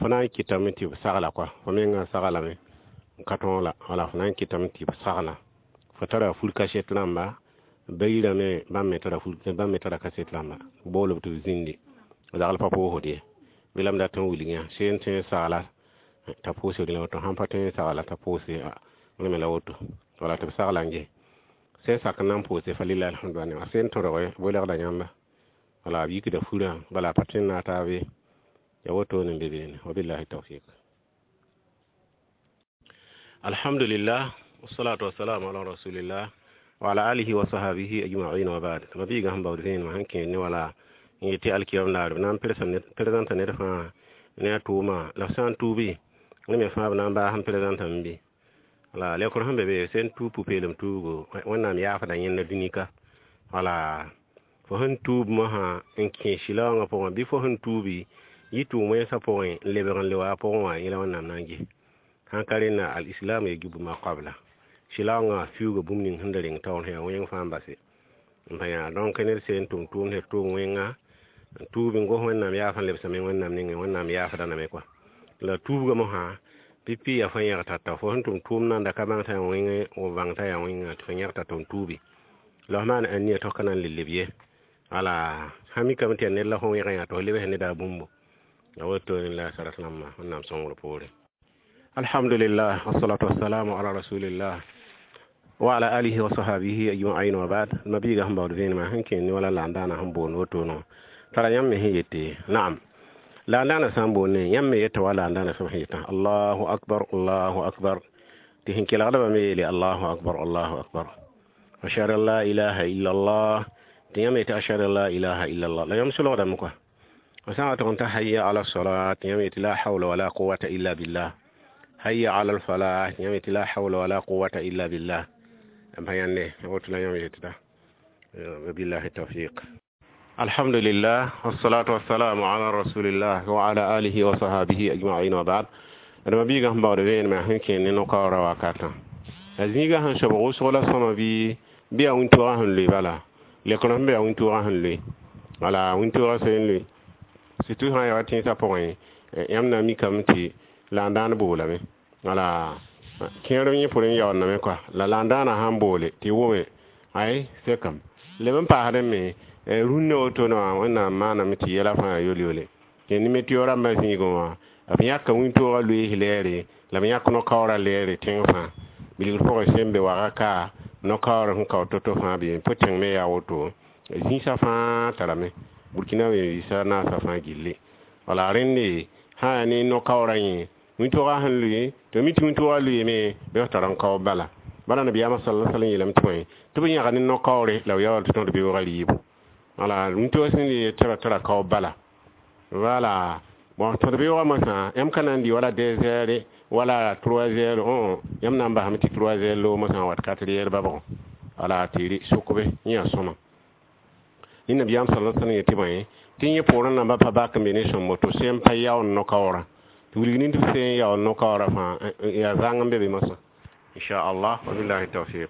fo na n kɩtame tɩ b sagla kɔa fo mengã saglame n ka tõog la wala fo na n kɩtame tɩ b sagla fo tara fur kaset rãmba bayiirã me bãmb me tara fur bãmb me tara kaset rãmba bool b tɩ b zĩndi zagl pa pʋʋsd ye bilam dat n wilg yã seen tõe n sagla t'a pʋʋsd la woto sãn pa tõe n sagla t'a pʋʋse me la woto wala tɩ b sagla n ges sẽn sak n na n pʋʋse fa lillahi alhamdu wa sẽn tõrge welgda yãmba wala b yikda furã bala pa tõe n naag taab ye ya wotone n be beene wabillahi tawfik. Alhamdulillah wassalatu wassalamu ala rasulillah wa ala alihi wa sahbihi ajma'in wa ba'd. Mabiiga sẽn baood vẽenemã sẽn kẽer ne wala n yetɩ alkiyam naar b na n présenta ned fãa ne a tʋʋma la f sã n tuubi ne me fãa b na n baas n présentame bɩ wala lekr sẽn be be sẽn tuub pʋ-peelem tuugo wẽnnaam yaafda yẽnda dũni ka wala fo sẽn tuub mosã n kẽ sɩlaoongã pʋgẽ bɩ fo sẽn tuubi yɩ tʋʋm wẽnsã pʋgẽ n lebg n le wa a pʋgẽ wã yẽla wẽnnaam na n ges sãn ka rẽnna al-islam yajibu ma qabla sɩlaoongã fiuuga bũmb ning sẽn da reng taoor sẽn yaa wẽng fãa n base n pa yã donc ned seen tʋm tʋʋmd sẽn tʋʋm wẽnga n tuub n gos wẽnnaam yaaf n lebsame wẽnnaam nengẽ wẽnnaam yaafda name kɔa la tuubga mosã pipi yaa fo yẽg tata fo sẽn tʋm tʋʋm nanda ka bãng t'a yaa wẽngẽ w bãng t'a yaa wẽnga tɩ fo yẽg tata n tuubi la f maan ania tɩ f ka na n le leb ye wala sã mikame tɩ yaa ned la fo wẽgẽ yaa tɩ f lebs neda bũmbo la wotone la sarat rãmba wẽnnaam sõngr poore. Alhamdulillah wassalatu wassalamu ala rasulillah wa ala alihi wa sahbihi ajma'in wa ba'd. Mabiiga sẽn baood vẽenemã sẽn kẽer ne wala la n daana sẽn boond wotono tara yãmb me sẽn yete naam la n daana sã n boonde yãmb me yeta wa la n daana sẽn yetã allahu akbar allahu akbar tɩ sẽn kelgdbã me yeele allahu akbar allahu akbar ashhadu an la ilaha illa allah tɩ yãmb yetɩ ashhadu an la ilaha illa allah la yãmb solgdame kɔa sã n wa tʋg n ta hayya ala salat tɩ yãmb yetɩ la hawla wala quwata illa billah. Hayya ala alfalah, yãmb yetɩ la hawla wala quwata illa billah. M pa yãnde woto la yãmb yetɩda. Wabillahi tawfiq. Alhamdulillah, wassalatu wassalamu ala rasulillah wa ala alihi wa sahabihi ajma'in, wa ba'd. D ma biigã sẽn baood vẽenemã sẽn kẽer ne no-kaoorã wakatã, la zĩigã sẽn sobg wʋsg la sõma bɩ yaa wĩntoogã sẽn loe bala lekr sẽn be yaa wĩntoogã sẽn loe wala wĩntoogã sẽn loe, surtout sã n ya wa tẽnsã pʋgẽ, yãmb na n mikame tɩ la n dãan boolame wala kẽer yẽ pʋrẽ n yaoondame kɔa la la n dãanã sãn boole tɩ wʋme ay sekame leb n paasdẽ me rũnnã wotone wã Wẽnnaam maaname tɩ yɛla fãa yaa yol-yole tɩ ne meteo rãmbã zĩigẽ wã b yãka wĩntoogã loees lɛɛre la b yãk no-kaoorã lɛɛre tẽng fãa bilgr pʋgẽ sẽn be waga ka no-kaoor sẽn kao to-to fãa bee pʋ tẽng me yaa woto zĩisã fãa tarame Burkina wẽn-biisã naasã fãa gilli wala rẽnde sã yaa ne no-kaoorã yẽ wĩntoogã sẽn loe tɩ mi tɩ wĩntoogã loeeme bɩ f tar n kao bala bala nabiyaamã sala sallam yeelame tɩ bõe tɩ b yãg ne no-kaoore la b yaool tɩ tõd beoogã rɩɩbo wala wĩntoogã sẽn le tɩ tara kao bala wala bon tõd beoogã mosã yãmb ka na n dɩ wala 2 heures wala 3 heures õ yãmb na n basame tɩ 3 heures loog mosã n wat 4 heures babgẽ wala tɩ sʋkbe yẽ yaa sõma ne nabiyaam sala sallam yetɩ bõe tɩ yẽ poorẽ namba pa bak n be ne sõmbo tɩ sẽn pa yaoond no-kaoorã tɩ wilg nin tɩ b sẽn yaoond no-kaoorã fãa yaa zãng n be be mosã inchallah. Wabillahi tawfiq.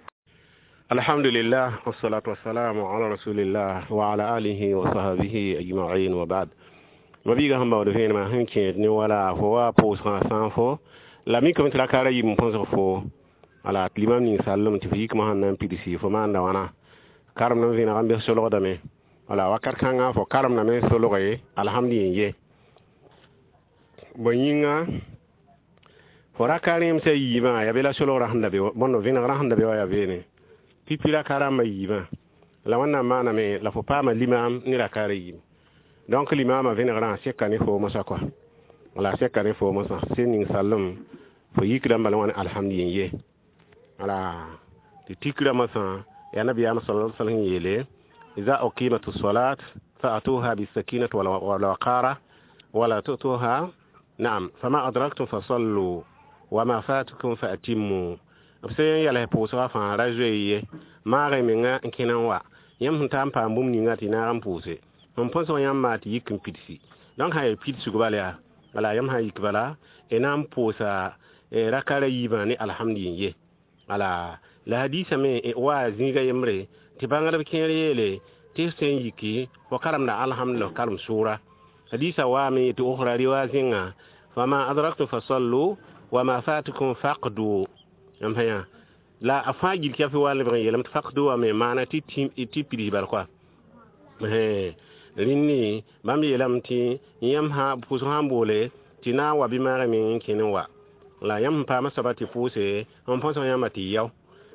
Alhamdulillah, wassalatu wassalamu ala rasulillah wa ala alihi wa sahbihi ajma'in, wa ba'd. Ma biiga sẽn baood vẽenemã sẽn kẽed ne wala fo wa pʋʋsgã sã n fo la mikame tɩ rakaara yib n põsg fo wala tɩ limam ning sallem tɩ f yikmã sẽn na n pidsi fo maanda wãna karemd n vẽneg n bes solgdame wala wakat kãngã fo karemdame solge alhamd yen ye bõe yĩnga fo raka rẽemsã yiibã yaa be la solgrã sẽn da be bõndo vẽnegrã sẽn da be wã yaa beene pipi raka rãmbã yiibã la Wẽnnaam maaname la fo paama limaam ne rakaara yiib donc limaamã vẽnegrã seka ne fo mosã kɔa wala seka ne fo mosã sẽn ning sallem fo yikdã bala wã ne alhamd yen ye wala tɩ tikrã mosã yaa nabiyaam sala sallam yeele إذا أقيمت الصلاة فأتوها بالسكينة والوقارة ولا تؤتوها نعم فما أدركتم فصلوا وما فاتكم فأتموا b sẽn yɛls pʋʋsgã fãa ra zoe ye maag y menga n kẽna n wa yãmb sẽn taa n paam bũmb ninga tɩ naag n pʋʋse n põsg yãmb maa tɩ yik n pidsi donc sã yaa pidsg bala yaa wala yãmb sã n yik bala y na n pʋʋsa rakara yiibã ne alhamd yen ye wala la hadisa me wa zĩiga yembre tɩ bãngdb kẽer yeele tɩ sẽn yiki fo karemda alhamdulillah karem sʋʋra hadisa waame tɩ ukhra riwa zĩnga fama adraktum fasallu wama fatukum faqdu yãmb sã yã la a fãa gil kɛf wa lebg n yeelame tɩ faqdu wa me maana tɩ pids bal koa rĩnni bãmb yeelame tɩ yãmb pʋʋsg sãn boole tɩ na n wa bɩ maag meng n kẽn n wa la yãmb sẽn paama soaba tɩ pʋʋse n põsg yãmba tɩ yao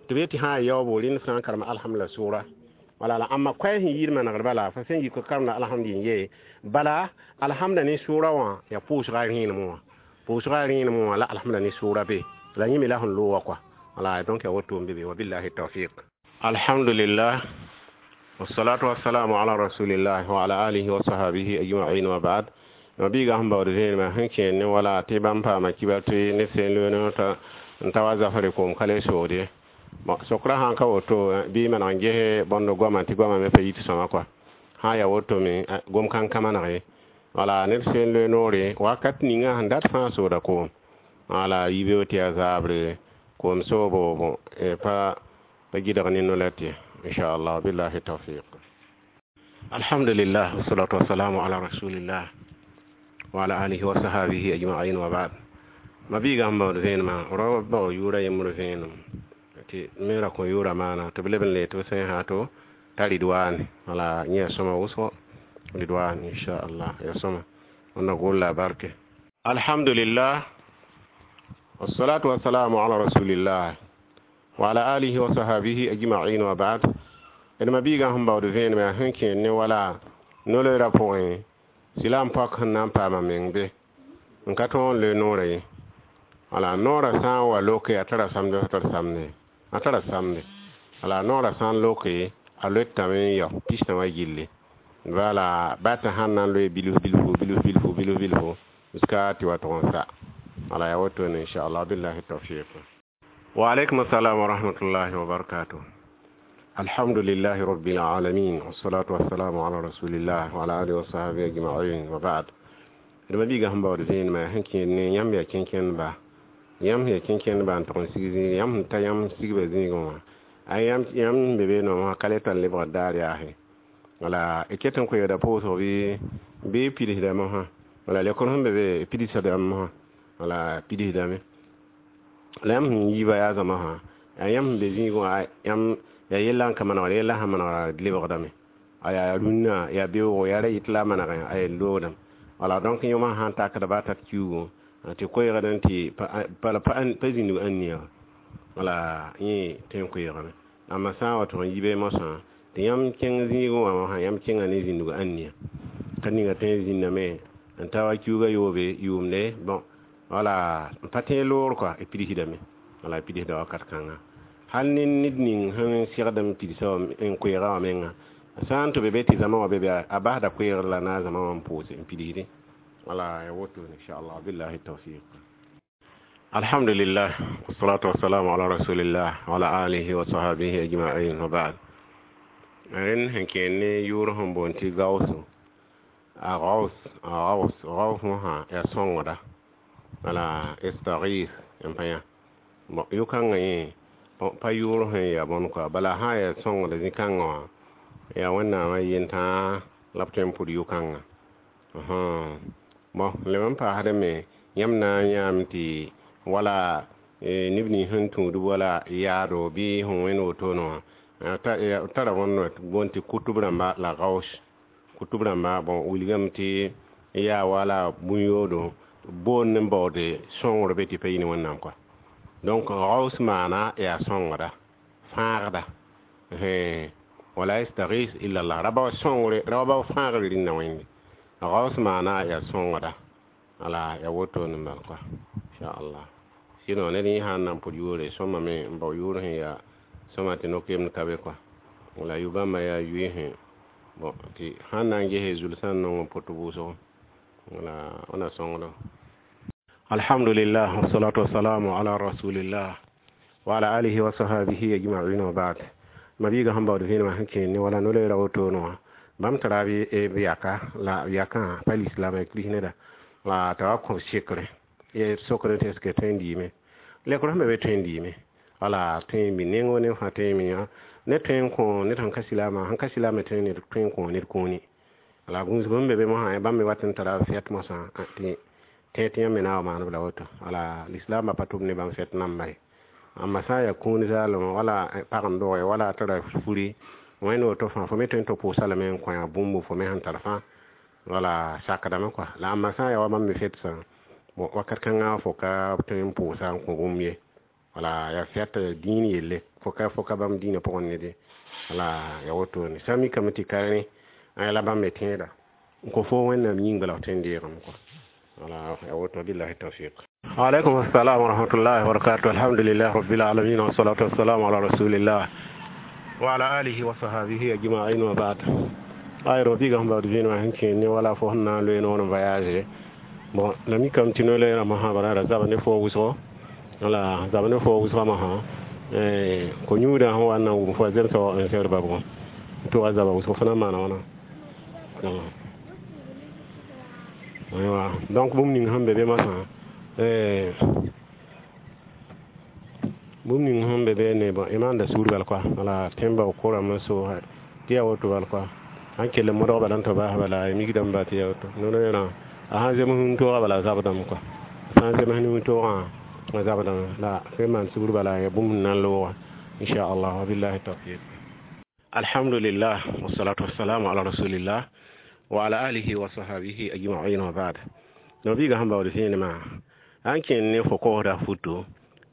tɩ b yetɩ sã n yaoobo rẽnd sã n karem alhamdulillah sʋʋra wala la ãmba koɛɛ sẽn yɩɩd manegd bala fo sẽn yik karemda alhamd yen ye bala alhamda ne sʋʋra wã yaa pʋʋsga rẽenem wã pʋʋsga rẽenem wã la alhamda ne sʋʋra be la yẽ me la sẽn loog wã kɔa wala donc ya woto n be be wabillahi tawfiq. Alhamdulillah, wassalatu wassalamu ala rasulillah wa ala alihi wa sahbihi ajma'in, wa ba'd. Ma biiga sẽn baood vẽenemã sẽn kẽer ne wala tɩ bãmb paama kibar tɩ ned sẽn loe n ta wa zafre koom ka le soogd ye bon sokraã sãn ka woto bɩ maneg n ges bõnd goamã tɩ goamã me pa yit sõma kɔa sã n yaa woto me gom kãn-kã maneg wala ned sẽn loe noore wakat ninga sẽn dat fãa sooda koom wala yibeoog tɩ yaa zaabre koom soobo bon pa pa gɩdg ne no-la tɩ inchallah billahi tawfiq. Alhamdulillah, wassalatu wassalamu ala rasulillah wa ala alihi wa sahabihi ajma'in, wa ba'd. Ma biiga sẽn baood vẽenemã rao bao yʋʋra yembr vẽenem tɩ me ra kõ yʋʋra maana tɩ b leb n le tɩ b sẽn sã to t'a ridwaane wala yẽ yaa sõma wʋsgo ridwan inchallah yaa sõma wẽnna golla barke. Alhamdulillah, wassalatu wassalamu ala rasulillah wa ala alihi wa sahabihi ajma'in, wa ba'd. D ma biigã sẽn baood vẽenemã sẽn kẽer ne wala no-loeerã pʋgẽ sɩla n pak sẽn na n paama meng be n ka tõog n loe noorã ye wala noorã sã n wa loke a tara samde a tara samde a tara samde wala noorã sã n loke a loetame n yao pistã wã gilli wala bata sãn na n loe bilf bilfu bilf bilfu bilf bilfu jusqu'à tɩ wa tʋg n sa. Wala ya woto ne inshallah, billahi tawfiq. Wa alaikum assalam wa rahmatullahi wa barakatuh. Alhamdulillahi rabbil alamin, wassalatu wassalamu ala rasulillah wa ala alihi wa sahbihi ajma'in, wa ba'd. D mabiiga sẽn baood zẽenema sẽn kẽed ne yãmb yaa kẽnkẽndba, yãmb sẽn yaa kẽnkẽndba n tʋg n sig zĩig, yãmb sẽn ta yãmb sigba zĩigẽ wã, a yãmb sẽn be beene wã ka le tar lebgd daar yaase. Wala y ket n koeegda pʋʋsg bɩ pidsdame mosã, wala lekr sẽn be be pidsdame mosã, wala pidsdame. La yãmb sẽn yiiba yaa zãma sã, yaa yãmb sẽn be zĩigẽ wã, yãmb yaa yella n ka manegd, yella sẽn manegda lebgdame. A yaa rũnnã, yaa beoogo, yaa ra yɩt la a manegẽ, a yaa loogdame. Wala donc yõmã sã n takda ba tat kiuugẽ tɩ koeegd tɩ pa zĩndg ãnnia, wala yẽ tõe n koeegame. Amma sã n wa tʋg n yi be mosã tɩ yãmb kẽng zĩigẽ wã mosã, yãmb kẽnga ne zĩndg ãnnia ka ninga tõe n zĩndame n ta wa kiuugã yoobe yʋʋmde, bon, wala n pa tẽeg loogr kɔa, y pidsdame, wala y pidsda wakat kãnga. Hal ne ned ning sẽn segd n pidsa n koeega wã menga, sã n tɩ be be tɩ zãma wã be be, a basda koeegr la na zãma wã n pʋʋse n pidsdẽ. Wala ya woto inshallah, billahi tawfiq. Alhamdulillah, wassalatu wassalamu ala rasulillah wa ala alihi wa sahbihi ajma'in, wa ba'd. Ren sẽn kẽed ne yʋʋr sẽn boond tɩ gaooso, a gaos, a gaos, gaos mosã yaa sõngda, wala istaghith n pa yã. Bon, yʋ-kãngã yẽ pa yʋʋr sẽn yaa bõn kɔa, bala sã n yaa sõngda zĩ-kãngã wã, yaa Wẽnnaamã yentãa la b tõe n pʋd yʋ-kãngã. Bon, leb n paasdame me, yãmb na n yãame tɩ wala neb nins sẽn tũudb wala yaado bɩ sẽn wẽnd wotone wã tara bõn boond tɩ kutb rãmba la gaos. Kutb rãmba, bon, wilgame tɩ yaa wala bũn-yoodo boond n baoode sõngr be tɩ pa yɩ ne Wẽnnaam kɔa. Donc gaos maana yaa sõngda, fãagda, wala yastaghis illa Allah, ra bao sõngre, ra bao fãagre rĩnda Wẽnde. Gaos maana yaa sõngda, wala ya wotone n bal kɔa, inshallah. Sinon ned yẽ sã n na n pʋd yʋʋre sõma me n bao yʋʋr sẽn yaa sõma tɩ no-keemd ka be kɔa, wala yu-bãmba yaa yʋɩ bon, tɩ sãn na n gese zulsã n nong n pʋt vʋʋsgo, wala wẽna sõngdo. Alhamdulillah, wassalatu wassalamu ala rasulillah wa ala alihi wa sahbihi ajma'in, wa ba'd. Mabiiga sẽn baood vẽenemã sẽn kẽed ne wala no-loeera wotone wã, bãmb tara b yaka la yakã pa lislaam, ya kirist neda, la t'a wa kõ sekre sokr tɩ est ce que tõe n diime lekr sẽn be be tõe n diime, wala tõe n mi nengo ne fãa tõe n mi ne tõe n kõ ned sẽn ka silaamã, sẽn ka silaamã tõe ned tõe n kõ ned kũuni. Wala gũusg sẽn be be mosã, bãmb me wat n tara fɛt mosã tɩ tẽ tɩ yãmb me na wa maan b la woto, wala lislaambã pa tʋm ne bãmb fɛt namba ye. Amma sã n yaa kũun zaalem wala pag n doge wala tara furi wẽnd woto fãa, fo me tõe n tɩ pʋʋsa lame n kõ yaa bũmb fo me sẽn tar fãa, wala sakdame kɔa. La amma sã n yaa wa bãmb me fetsã, bon, wakat kãngã fo ka tõe n pʋʋsa n kõ bũmb ye, wala yaa fɛt dĩin yelle, fo ka bãmb dĩinã pʋgẽ ned ye, wala ya wotone. Sã n mikame tɩ ka rẽ la bãmb me tẽeda n kõ fo Wẽnnaam yĩng bala f tõe n deegame kɔa, wala ya woto, billahi tawfiq. Alaikum assalam wa rahmatullahi wa barakatuh. Alhamdulillah rabbil alamin, wa salatu wassalamu ala rasulillah wa ala alihi wa sahbihi ajma'in, wa ba'd. Ay ro biga sẽn baood vẽenemã sẽn kẽed ne wala fo sẽn na n loe noor n voyage. Bon, la mikame tɩ no-loeerã mosã bala ra zab ne fo wʋsgo, wala zab ne fo wʋsgã mosã ko-yũudã sẽn wa n na n wʋm fo a zemsa wa n sɛd babgõ n tʋga zaba wʋsg fo na n maana wãna. Aywa, donc bũmb ning sẽn be be mosã, bũmb ning sẽn be be ne, bon, y maanda sugr bal kɔa, wala tẽn bao korame n soosã tɩ yaa woto bal kɔa, sãn kell n modg bala n tɩ baas bala y mikdame ba tɩ yaa woto no-loeerã a sãn zems nin-toogã bala a zabdame kɔa, sã n zems nin-toogã a zabdame la fo maan sugr bala ya bũmb n na n loogã, inchallah, wa billahi tawfiq. Alhamdulillah, wassalatu wassalamu ala rasulillah wa ala alihi wa sahbihi ajma'in, wa ba'd. No biiga sẽn baood vẽenemã sãn kẽnd ne fo koosda futo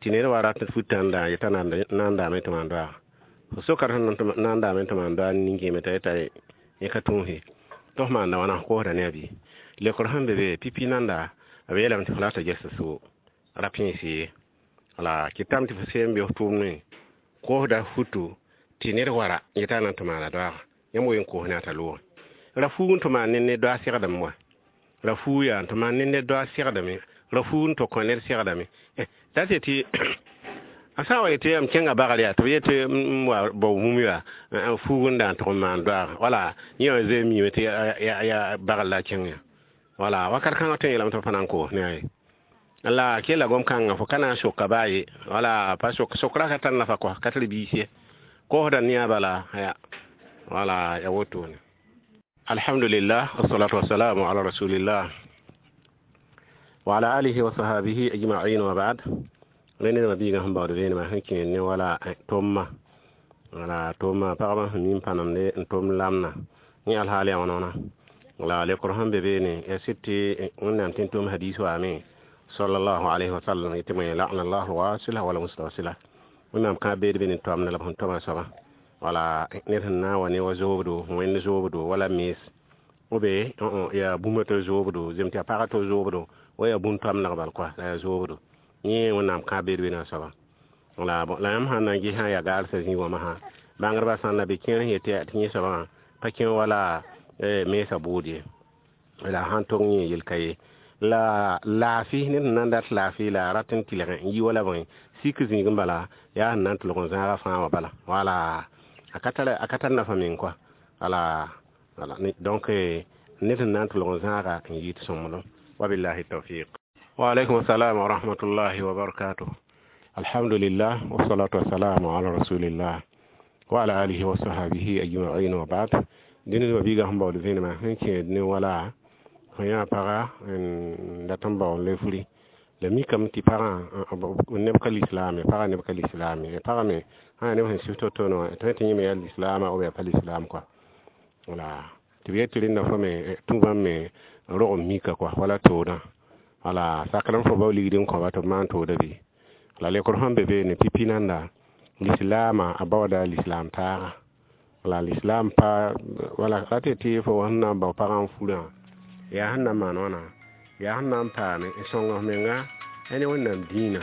tɩ ned wa rat futãnda yetã na n daame tɩ maan doaga, fo sokd sẽn na n daame tɩ maan doag nin-kẽeme t'a yeta yẽ ka tũuse tɩ f maanda wãna, f koosda ne a bɩ lekr sẽn be be pipi nanda b yeelame tɩ fo la t'a ges sʋʋ ra pẽes ye, wala kɩtame tɩ fo seen be f tʋʋmdẽ koosda futo tɩ ned wara yetã na n tɩ maana doaga, yãmb wen koos ne a t'a loogẽ ra fuug n tɩ maan ne doag segdame wa. Ra fuu yaa n tɩ maan ne ned doa segdame, ra fuu n tɩ kõ ned segdame. Dat yetɩ a sã n wa yetɩ m kẽnga bagr yaa tɩ b yetɩ m wa bao bũmb yaa fuug n da n tʋg n maan doaaga, wala yẽ wã zoe n miime tɩ yaa bagr la a kẽng yã. Wala wakat kãngã tõe n yeelame tɩ b pa na n koos ne a ye. La kella gom-kãngã fo ka na n soka baa ye, wala pa sok sokra ka tar nafa kɔ, ka tar biis ye, koosda ne a bala ya, wala ya wotone. Alhamdulillah, wassalatu wassalamu ala rasulillah wa ala alihi wa sahabihi ajma'in wa ba'd. Rẽnd ned biigã sẽn baood vẽenemã sẽn kẽed ne wala tʋmma, wala tʋmma pagba sẽn mi n pa namde n tʋm lamna yẽ alhaal yaa wãna wãna. La lekr sẽn be beene ya sɩd tɩ Wẽnnaam tɩ n tʋm hadis waame sallallahu alayhi wa sallam yetɩ bõe la'ana llahu wasila wala mustawsila, Wẽnnaam kãab beed be ne toamda la b sẽn toma soaba. Wala ned sẽn na n wa ne wa zoobdo, wẽnd zoobdo wala mees ou be yaa bũmb tɩ zoobdo, zem tɩ yaa pagã tɩ zoobdo wa yaa bũn toamdg bal kɔa la yaa zoobdo, yẽ Wẽnnaam kãab beed be ne a soaba. La la yãmb sãn na n ges sã n yaa gaalsã zĩig wã masã, bãngdbã sã n na be kẽer sẽn yetɩ tɩ yẽ soabã wã pa kẽ wala meesã bʋʋd ye, la sãn tong yẽ yel ka ye. La laafɩ ned sẽn na n dat laafɩ la a rat n tɩlgẽ n yi wala bõe sik zĩig n bala yaa sẽn na n tʋlg n zãaga fãa wã bala, wala a ka tar nafa meng kɔa. Wala donc ned sẽn na n tʋlg n zãaga n yɩ tɩ sõmblem. Wabillahi tawfiq. Wa alaikum assalam wa rahmatullahi wa barakatuh. Alhamdulillah, wassalatu wassalamu ala rasulillah wa ala alihi wa sahbihi ajma'in wa ba'd. Dẽnd wa biigã sẽn baood vẽenemã sẽn kẽed ne wala fõ yã paga n dat n bao n le furi, la mikame tɩ pagã neb ka lislaam ye, pagã neb ka lislaam ye, pagã me sã yaa neb sẽn sɩf to-to wã tɩ tɩ yẽ me yaa lislaama ou yaa pa lislaam kɔa. Wala tɩ b yet tɩ rẽnda fo me tũ bãmb me rog n mika kɔa wala toodã, wala sakrame fo bao ligd n kõba tɩ b maan tooda bɩ. La lekr sẽn be beene pipi nanda lislaamã a baooda lislaam taaga, wala lislaam pa wala ra tɩ tɩ fo sẽn na n bao pagã n furã yaa sẽn na n maan wãna, yaa sẽn na n paame n sõng f menga ne Wẽnnaam dĩinã,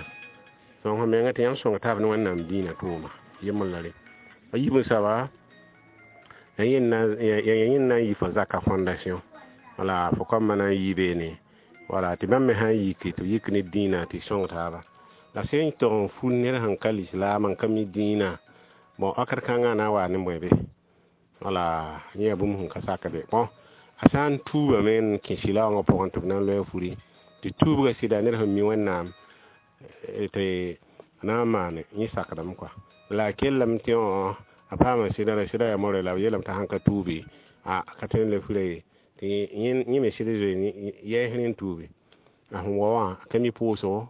sõng f menga tɩ yãmb sõng taab ne Wẽnnaam dĩinã tʋʋma yembr la re. A yiib n soaba ya yẽnd na n yi fo zaka fondation, wala fo kõmba na n yii beene, wala tɩ bãmb me sã n yiki tɩ b yik ne dĩinã tɩ sõng taaba. La sẽn tog n fur ned sẽn ka lislaam n ka mi dĩinã, bon wakat kãngã na n waa ne bõe be, wala yẽ yaa bũmb sẽn ka sakde. Bon a sã n tuubame n kẽ sɩlaoongã pʋgẽ tɩ b na n loe a furi, tɩ tuubga sɩda ned sẽn mi Wẽnnaam tɩ na n maane yẽ sakdame kɔa. La a kellame tɩ a paama sɩda la sɩda yaa more la b yeelame t'a sãn ka tuubi a ka tõe n le fura ye, tɩ yẽ me sɩd zoe yɛɛs n tuubi. A sẽn wa wã ka mi pʋʋsgo,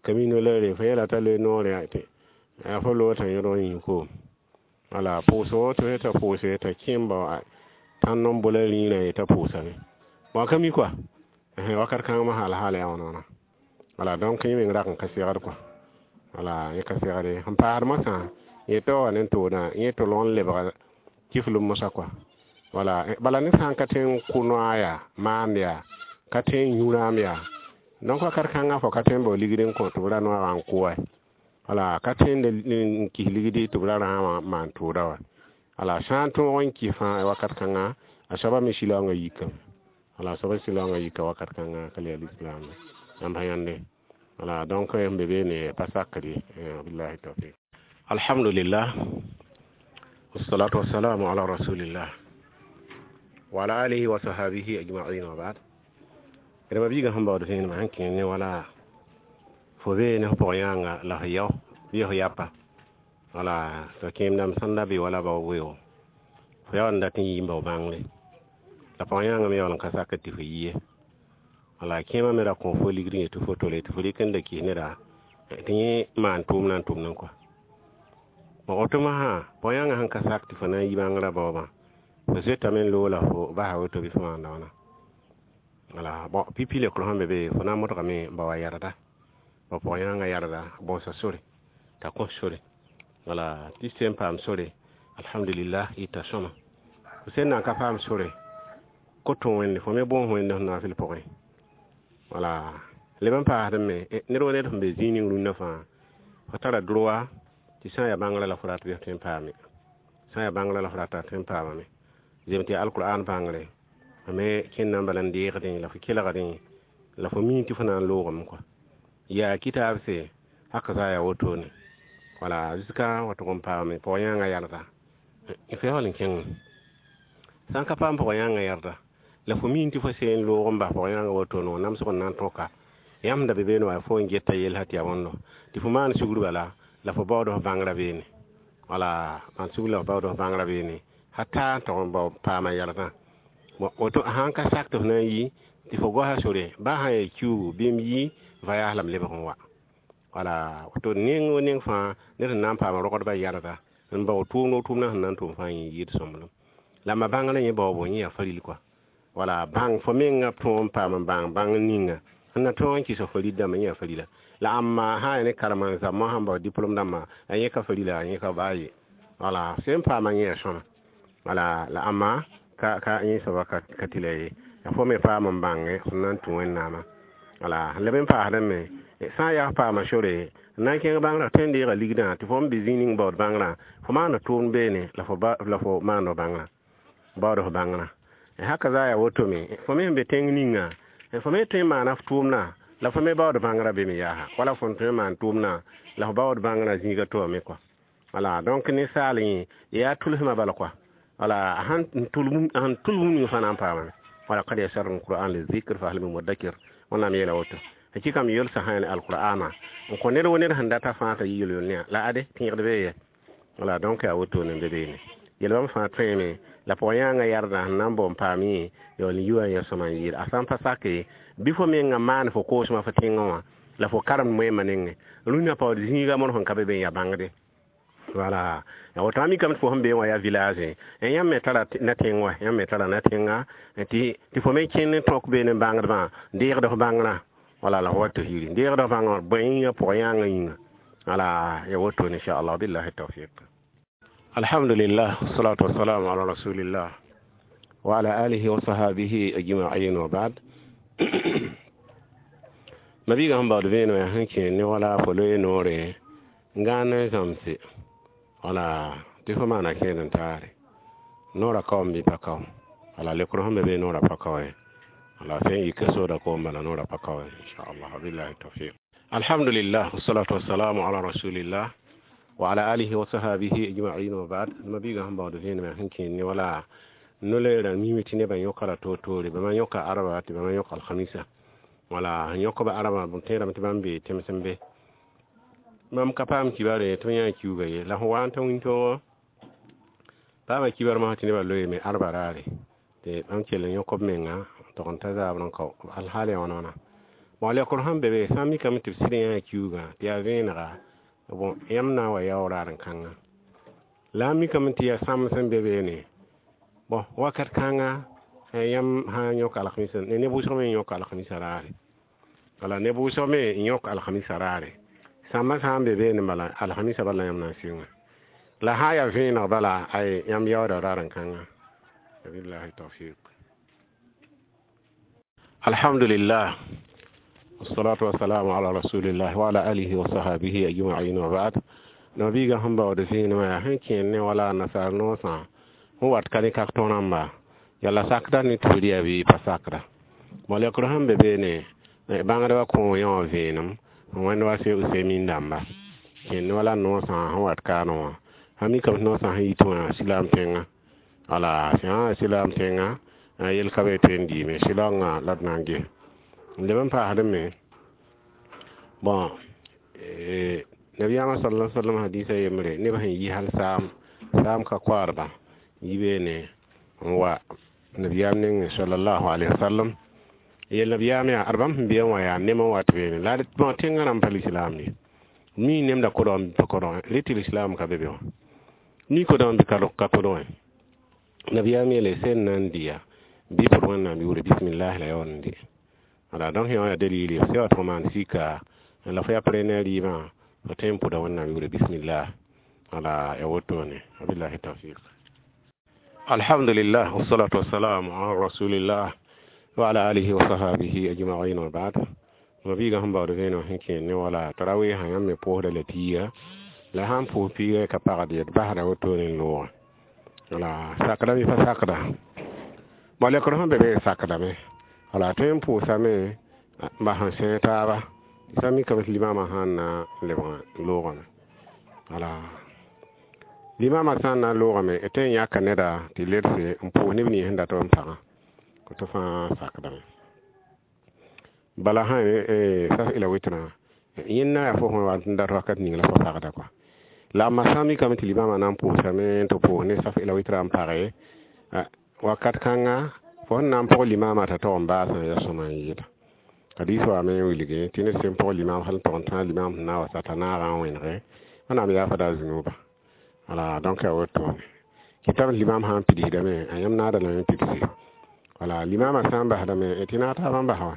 ka mi no-loeere, fo yeela t'a loe noore tɩ yaa fo loog t'a yõdg n yũ koom. Wala pʋʋsgo tɩ t'a pʋʋse t'a kẽ n bao tãnd n bola rĩirã ye t'a pʋʋsame, bon a ka mi kɔa wakat kãng masã alhaal yaa wãna wãna. Wala donc yẽ meng rak n ka segd kɔa, wala yẽ ka segd ye. Sẽn paasd masã yẽ t'a wa ne toodã yẽ tʋlg n lebga kiflem mosã kɔa. Wala bala ned sã n ka tõe n kʋ noa yaa maand yaa ka tõe n yũ rãam yaa, donc wakat kãngã fo ka tõe n bao ligd n kõ tɩ b ra noagã n kʋ wa, wala ka tõe n kis ligdi tɩ b ra rãam wã maan tʋʋda wa. Wala sã n tõog n kis fãa wakat kãngã a soaba me sɩlaoongã yikame, wala a soaba sɩlaoongã yika wakat kãngã ka le yaa lislaam yãmb sã yãnde. Wala donc n be beene pa sakd ye. Billahi tawfiq. Alhamdulillah, wassalatu wassalamu ala rasulillah wa ala alihi wa sahabihi ajma'in wa ba'd. Rẽmba biigã sẽn baood vẽenemã sẽn kẽer ne wala fo bee ne f pʋg yãanga la f yao bɩ f yapa, wala tɩ kẽem dãmb sãn da be wala bao weo fo yaool n dat n yii n bao bãngre, la pʋg yãanga me yaool n ka sakd tɩ fo yi ye. Wala kẽemã me ra kõ fo ligd n yetɩ fo tole tɩ fo rɩk n da kis neda tɩ yẽ maan tʋʋmdã n tʋmdẽ kɔa. Bon woto masã pʋg yãngã sẽn ka sak tɩ fo na n yi bãngrã baoobã, fo zoetame n loog la fo basa woto bɩ fo maanda wãna. Wala bon pipi lekr sẽn be be fo na n modgame n ba wa yarda, ba pʋg yãngã yarda bõosa sore t'a kõ sore, wala tɩ sẽn paam sore alhamdulillah yɩta sõma. Fo sẽn na n ka paam sore ko tõ Wẽnde fo me bõos Wẽnde f naafɩl pʋgẽ. Wala leb n paasd me ned wa ned sẽn be zĩig ning rũnnã fãa fo tara droit tɩ sã n yaa bãngrã la fo rat bɩ f tõe n paame, sã n yaa bãngrã la fo rata tõe n paamame, zem tɩ yaa alkur'an bãngre Me kẽndã n bala n deegdẽ la fo kelgdẽ la fo mi tɩ fo na n loogame kɔa yaa kitaabse haka za yaa wotone. Wala jusqu'à wa tʋg n paame pʋg-yãangã yalga fo yaool n kẽngame sã n ka paam pʋg-yãangã yɛrda la fo mi tɩ fo seen loog n bas pʋg-yãangã wotone wã namsg n na n tõka yãmb da be beene wa fo n geta yell tɩ yaa bõndo tɩ fo maan sugr bala la fo baood f bãngrã beene. Wala maan sugr la fo baood f bãngrã beene. Hata n tog n bao paama yɛlgã woto sãn ka sak tɩ f na n yi tɩ fo goasa sore baa sã n yaa kiuugu bɩ m yi voyage la m lebg n wa. Wala woto neng wo neng fãa ned sẽn na n paama rogdbã yɛlga n bao tʋʋmd o tʋʋmdã sẽn na n tʋm fãa yẽ yɩɩd sõmblem la ma bãngrã yẽ baoobo yẽ yaa faril kɔa. Wala bãng fo mengã tõog n paam n bãng bãng ninga sẽn na tõog n kɩs f farid dãmbã yẽ yaa farila la ãmba sã n yaa ne karema n zãmbã sãn bao diplôme dãmbã a yẽ ka farila a yẽ ka baa ye. Wala sẽn paama yẽ yaa sõma. Wala la ãmba ka yẽ soaba ka tɩ la ye. Ya fo me paam n bãnge sẽn na n tũ Wẽnnaamã. Wala leb n paasdẽ me sã n yaa f paama sore n na n kẽng bãngrã tõe n deega ligdã tɩ fo n be zĩig ning baood bãngrã fo maanda tʋʋmd beene la fo maand f bãngrã baood f bãngrã. Haka za yaa woto me fo me sẽn be tẽng ninga fo me tõe n maana f tʋʋmdã la fo me baood bãngrã be me yaasa wala fo n tõe n maan tʋʋmdã la fo baood bãngrã zĩiga toame kɔa. Wala donc ninsaal yẽ yaa tʋlsmã bala kɔa. Wala sãn tʋl bũmb ning fãa na n paamame. Wala qad yassarna alquran lizikr fa hal min mudakkir. Wẽnnaam yeela woto hakikam yolsa sã ne alqur'ana n kõ ned wo ned sẽn data fãa t'a yɩ yel-yel ne la ade tẽegd bee ye. Wala donc yaa wotone n be beene yel bãmb fãa tõeme la pʋg-yãangã yardã sẽn na n bao n paam yẽ yaool n yi wa n ya sõma n yɩɩd a sã n pa sake bɩ fo mengã maan fo koosmã fo tẽngã wã la fo karemd moẽmã nengẽ rũnã paood zĩiga mõr sẽn ka be be n yaa bãngde. Wala ya woto a mikame tɩ fo sẽn bee wã yaa village yãmb me tara na tẽng wa yãmb me tara na tẽnga tɩ fo me kẽnd n tõk beene n bãngdbã deegd f bãngrã. Wala la fo wat tɩ yiri deegd f bãngrã bõe yĩnga pʋg-yãangã yĩnga. Wala ya woto inshallah billahi tawfiq. Alhamdulillah wassalatu wassalamu ala rasulillah wa ala alihi wa sahabihi ajma'in wa ba'd. Mabiga sẽn baood vẽenem yaa sẽn kẽ ne wala fo loe noore n gãan n zãmse wala tɩ fo maana kẽed n taare noorã kaoom bɩ pa kao wala lekr sẽn be be noorã pa kao ye wala sẽn yika sooda koom bala noorã pa kao ye inchallah billahi tawfiq. Alhamdulillah wassalatu wassalamu ala rasulillah wa ala alihi wa sahabihi ajma'in wa ba'd. Mabiga sẽn baood vẽenem yaa sẽn kẽ ne wala no-loeerã mime tɩ nebã yõkra toor-toore bãmba yõka araba tɩ bãmba yõk alhamisa. Wala sẽn yõk b araba b tẽedame tɩ bãmb bee tẽmsem be mam ka paam kibare tɩ b yã kiuga ye la fo wa n tã wĩntoogo paama kibar masã tɩ nebã loeeme arba raare tɩ bãmb kell n yõk b menga n tog n ta zaabr n kao alhaal yaa wãna wãna. Bon lekr sẽn be be sã n mikame tɩ b sɩd yã kiugã tɩ yaa vẽenega bon yãmb na n wa yaoog raar n kãnga la a mikame tɩ yaa sãmb sẽn be beene bon wakat kãnga yãmb sã n yõk alhamisa neb wʋsg me n yõk alhamisa raare wala neb wʋsg me n yõk alhamisa raare sãmbã sã n be beene bala alhamisa bala yãmb na n sɩnga la sã n yaa vẽeneg bala ay yãmb yaooda raar n kãnga billahi tawfiq. Alhamdulillah wassalatu wassalamu ala rasulillah wa ala alihi wa sahabihi ajma'in wa ba'd. Nabiga sẽn baood vẽenemã yaa sẽn kẽer ne wala nasaar noosã sẽn wat ka ne kak tõrãmba yala sakda ne tɩ f bɩ pa sakda bõ lekr sẽn be beene bãngdbã kõ yã wã vẽenem n wẽnd wa se usemin dãmba kẽer ne wala noosã sẽn wat kaanẽ wã sã mikame tɩ noosã sẽn yit wã silaam tẽngã wala sã silaam tẽngã yel ka be tõe n dɩɩme sɩlaongã la d na n ges n leb n paasdẽ me bon nabiyaamã sala sallam hadisa yembre neb sẽn yi hal saam saam ka koaadba yi beene n wa nabiyaam nengẽ sallallahu alaihi wasallam yel nabiyaam yaa ad bãmb sẽn be wã yaa nem n wat beene la bõ tẽngã rãmb pa lislaam ye mi nemda kodg pa kodgẽ rɩ tɩ lislaam ka be be wã mi kodg bɩ ka kodgẽ nabiyaam yeele sẽn na n dɩya bɩ pʋd Wẽnnaam yʋʋre bisimillahi la yaool n dɩ wala donc yã wã yaa dalili f sã wa tɩ fo maan sika la fo yaa prene rɩɩbã fo tõe n pʋda Wẽnnaam yʋʋre bismillah wala ya wotone wabillahi tawfiq. Alhamdulillah wassalatu wassalamu ala rasulillah wa ala alihi wa sahabihi ajma'in wa ba'd. Mabiga sẽn baood vẽenem sẽn kẽer ne wala tarawɩɩsã yãmb me pʋʋsda la piiga la sãn pʋʋs piiga ka pagd ye d basda wotone n loogã wala sakda bɩ pa sakda Bon, lekr sẽn be be sakdame, wala tõe n pʋʋsame n bas n sẽeg taaba tɩ sã mikame tɩ limamã sãn na n lebg loogame. Wala limamã sã n na n loogame, d tõe n yãka neda tɩ ledse n pʋʋs neb nins sẽn dat n pagã tɩ fãa sakdame. Bala sã saf ila wɩtrã yẽnda yaa fo sẽn wa n dat wakat ning la fo pagda kɔa. La a sã n mikame tɩ limamã na n pʋʋsame tɩ pʋʋs ne saf ila wɩtrã n page wakat kãnga, fo sẽn na n pʋg limamã t'a tog n baasã yaa sõma n yɩɩda. Hadis waame n wilge tɩ ned sẽn pʋg limam hal n tog n tãag limam sẽn na n wa sa t'a naagã n wẽnege, Wẽnnaam yaafa a zũnuba. Wala donc yaa wotone kɩtame limam sã n pidsdame, a yãmb naada lame n pidse. Wala limamã sã n basdame tɩ naag taabã n bas wã.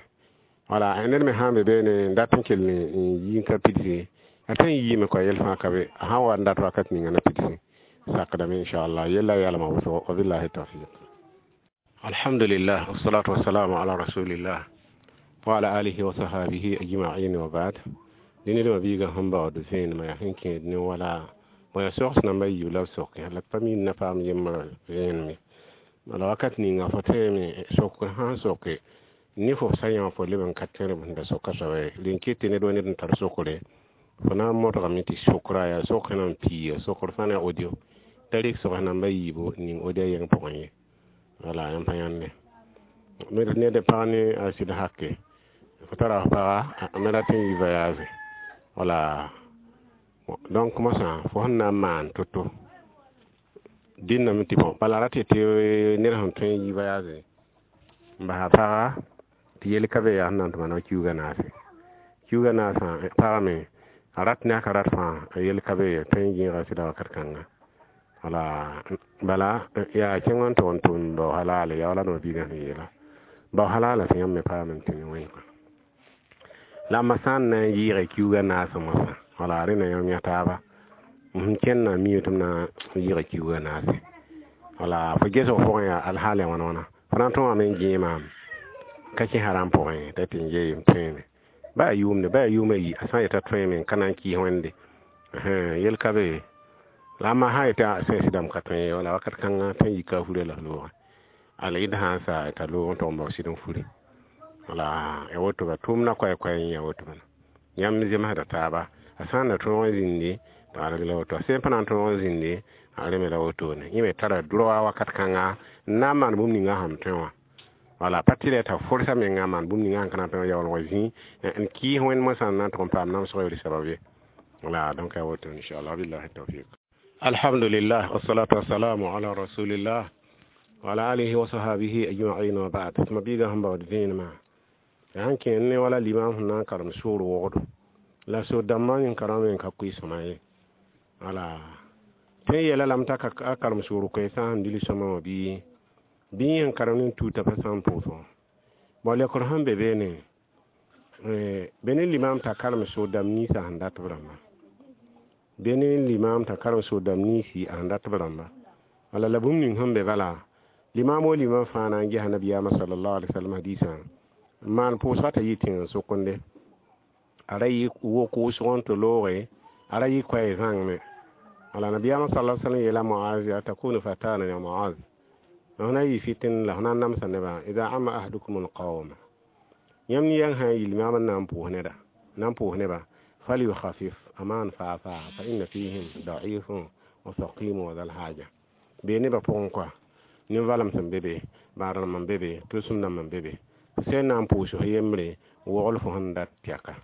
Wala ned me sã n be beene n dat n kell n yi n ka pidse, a tõe n yiime kɔa, yɛl fãa ka be. A sã n wa n dat wakat ninga na pidse, sakdame inchallah, yella yalma wʋsgo. Wabillahi tawfiq. Alhamdulillah, wassalatu wassalamu ala rasulillah wa ala alihi wa sahabihi ajma'in wa ba'd. Dẽned wã biigã sẽn baood vẽenemã yaa sẽn kẽed ne wala bõe yaa sogs namba yiib la b soke la pa mi na paam yembr vẽenem ye. Bala wakat ninga fo tõeme sok sãn soke ne fo sã yã fo leb n ka tẽrb sẽn da soka soaba ye. Rẽn ket tɩ ned wa ned n tar sokre, fo na n modgame tɩ sokra yaa sok sẽn na n piiga sokr fãa ne audio t'a rɩk sogs namba yiibu ning audio yẽng pʋgẽ ye. Wala yãmb pa yãnde ned pag ne a sɩd hake fo tara f paga a me rat n yi voyage. Wala donc mosã fo sẽn na n maan to-to dĩnname tɩ bõ bala rat tɩ ned sẽn tõe n yi voyage n basa paga tɩ yel ka be yaa sẽn na n tɩ maana kiuugã naase, kiuugã naasã pagame a rat ne a ka rat fãa, a yel ka be ye, tõe n yẽega sɩda wakat kãnga. Wala bala yaa kẽng n tog n tʋm bao halale yaa wala no biigã sẽn yeela bao halala tɩ yãmb me paam n tɩ ne wẽnga la ma sã n na n yɩɩge kiuugã naasã mosã. Wala rẽna yãmb yã taaba m kẽndã mi tɩ m na n yɩɩge kiuugã naase. Wala fo gesg pʋgẽ yaa alhaal ya wãna wãna, fo na n tõogame n gẽe maam ka kẽ haram pʋgẽ t'a tɩ n yee m tõeeme ba yaa yʋʋmde, ba yaa yʋʋma yi, a sã n yeta tõeeme n ka na n kɩɩs Wẽnde yel ka be. La ma sã n yetɩ sẽn sɩdame ka tõe ye, wala wakat kãngã tõe n yika a furã la f loogã ala yɩd sã n sa t'a loog n tog n bao sɩd n furi. Wala ya woto ba tʋʋmdã koɛ-koɛ n ya woto bala yãmb zemsda taaba. A sã n na tõog n zĩndi t'a reg la woto, a sẽn pa na n tõog n zĩndi a reme la wotone. Yẽ me tara droa wakat kãnga n na n maan bũmb ninga sãn tõe wã. Wala pa tɩ t'a forsa menga maan bũmb ninga sẽn ka na n tõe wã yaool wa zĩ n kɩɩs Wẽnd mosã n na n tʋg n paam namsg yoor sabab ye. Wala donc ya woto inchallah. Billahi tawfiq. Alhamdulillah, wassalatu wassalamu ala rasulillah wa ala alihi wa sahabihi ajma'in wa ba'd. Tɩ biigã sẽn baood vẽenemã yaa n kẽer ne wala limam sẽn na n karem soor wogdo la so dãmbã yẽn karame n ka koe sõma ye. Wala tõe n yeela lame t'a a karem soor koɛɛsã sẽn dil sõma wã bɩ bɩ yẽ sẽn karem ne tuuta pa sã n pʋʋs wã. Bon, lekr sẽn be beene be ne limam t'a karem soor dãmb ninsã sẽn dat b rãmba, be ne limam t'a karem soor dãmb ninsi a sẽn dat b rãmba. Wala la bũmb ning sẽn be bala limam wo limam fãa na n gesa nabiyaamã sallallahu alaihi wasallam hadisã n maan pʋʋsga t'a yɩ tẽng sokonde a ra yɩ wok wʋsg n tɩ looge a ra yɩ koɛɛ zãng me. Wala nabiyaamã sallallahu alaihi wasallam yeela Moaz ya takunu fatana ya Moaz, f na yɩ fitin la f na n namsa nebã. Ida ama ahadukum alqawma, yãmb ne yãng sã n yɩ limam n na n pʋʋs neda na n pʋʋs nebã, falyukhafif, a maan faa faa, fa inna fihim da'ifun wa saqimu wa zal haja. Bee nebã pʋgẽ koa nin-valem sẽn be be, bãad-rãmb n be be, tʋlsem dãmb n be be, sẽn na n pʋʋs f yembre wogl fo sẽn dat tɛka.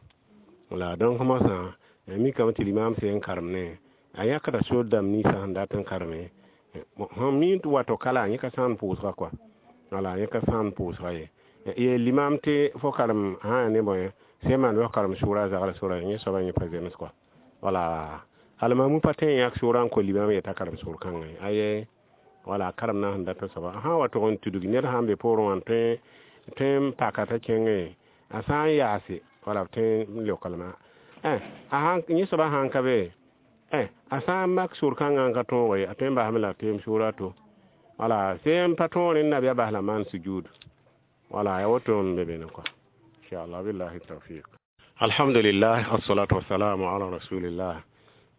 Wala donc mosã mikame tɩ limam sẽn karem ne a yãkda soor dãmb ninsã sẽn dat n kareme sẽn mi tɩ wato kala yẽ ka sãn pʋʋsga kɔa. Wala yẽ ka sãn pʋʋsga ye ye limam tɩ fo karem sã ya ne bõe sẽn maan bɩ fo karem sʋʋra zagl sora yẽ soaba yẽ pa zems kɔa. Wala almamu pa tõe n yãk sʋʋrã n ko limam yeta karem sʋʋr kãngã ye aye. Wala karem na sẽn dat soaba sã n wa tʋg n tudg ned sã n be poorẽ wã tõe n paka t'a kẽnge a sã n yaase wala b tõe n leokalma a yẽ soaba sã n ka be a sã n mak sʋʋr kãngã n ka tõoge a tõe n basame la teem sʋʋra to. Wala sẽn pa tõog rẽnd nabiya bas la maan sujud. Wala ya woto n be bene kɔa inchallah. Billahi tawfiq. Alhamdulillah, wassalatu wassalamu ala rasulillah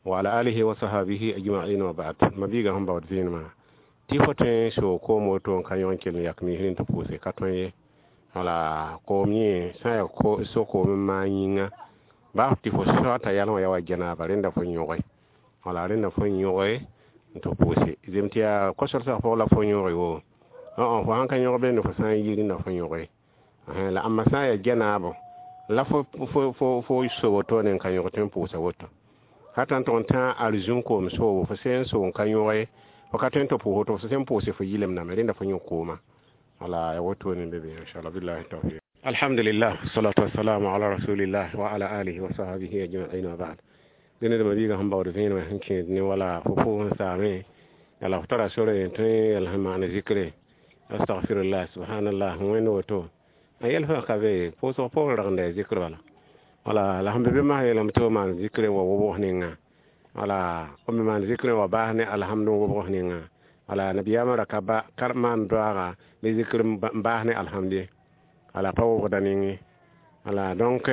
wa ala alihi wa sahabihi ajma'in wa ba'd. Ma biiga sẽn baood vẽenemã Tɩ fo tõe n soog koom woto n ka yõ n kell n yak misr n tɩ pʋʋse ka tõe ye. Wala koom yẽ sã n yaa so-koom n maan yĩnga baa tɩ fo soata yalẽ wã yaa wa janaaba, rẽnda fo yõge. Wala rẽnda fo yõge n tɩ pʋʋse. Zem tɩ yaa kosɛlsg pʋg la fo yõge wo. Fo sãn ka yõg bende, fo sã n yi rẽnda fo yõge. La ãmba sã n yaa janaabo la fo so wotone n ka yõg tõe n pʋʋsa woto. Hata n tʋg n tã arzũn koom soobo, fo sẽn n soog n ka yõge, fo ka tõe n tɩ pʋʋs woto, fo sẽn pʋʋse fo yɩlemdame, rẽnda fo yõ kooma. Wala ya wotone be inshallah. Billahi tawfiq. Alhamdulillah, salatu wassalamu ala rasulillah wa ala alihi wa sahbihi ajma'in, wa ba'd. Dẽne dãmba biigã sẽn baood vẽenemã sẽn kẽed ne wala fo pʋʋs n saame, la f tara sore n tõe yɛl sẽn maan zikre, astaghfirullah, subhanallah, wẽnd woto a yɛl fãa ka be pʋʋsg poorẽ ragenda ya zikr bala. Wala la sẽn be be masã yeelame tɩ f maan zikr wa wobgs ninga, wala f me maan zikr wa baas ne alhamdu wobgs ninga. Wala nabiyaamã ra ka ba ka maan doaaga bɩ zikr n baas ne alhamdu ye, wala pa wobgda ning. Wala donc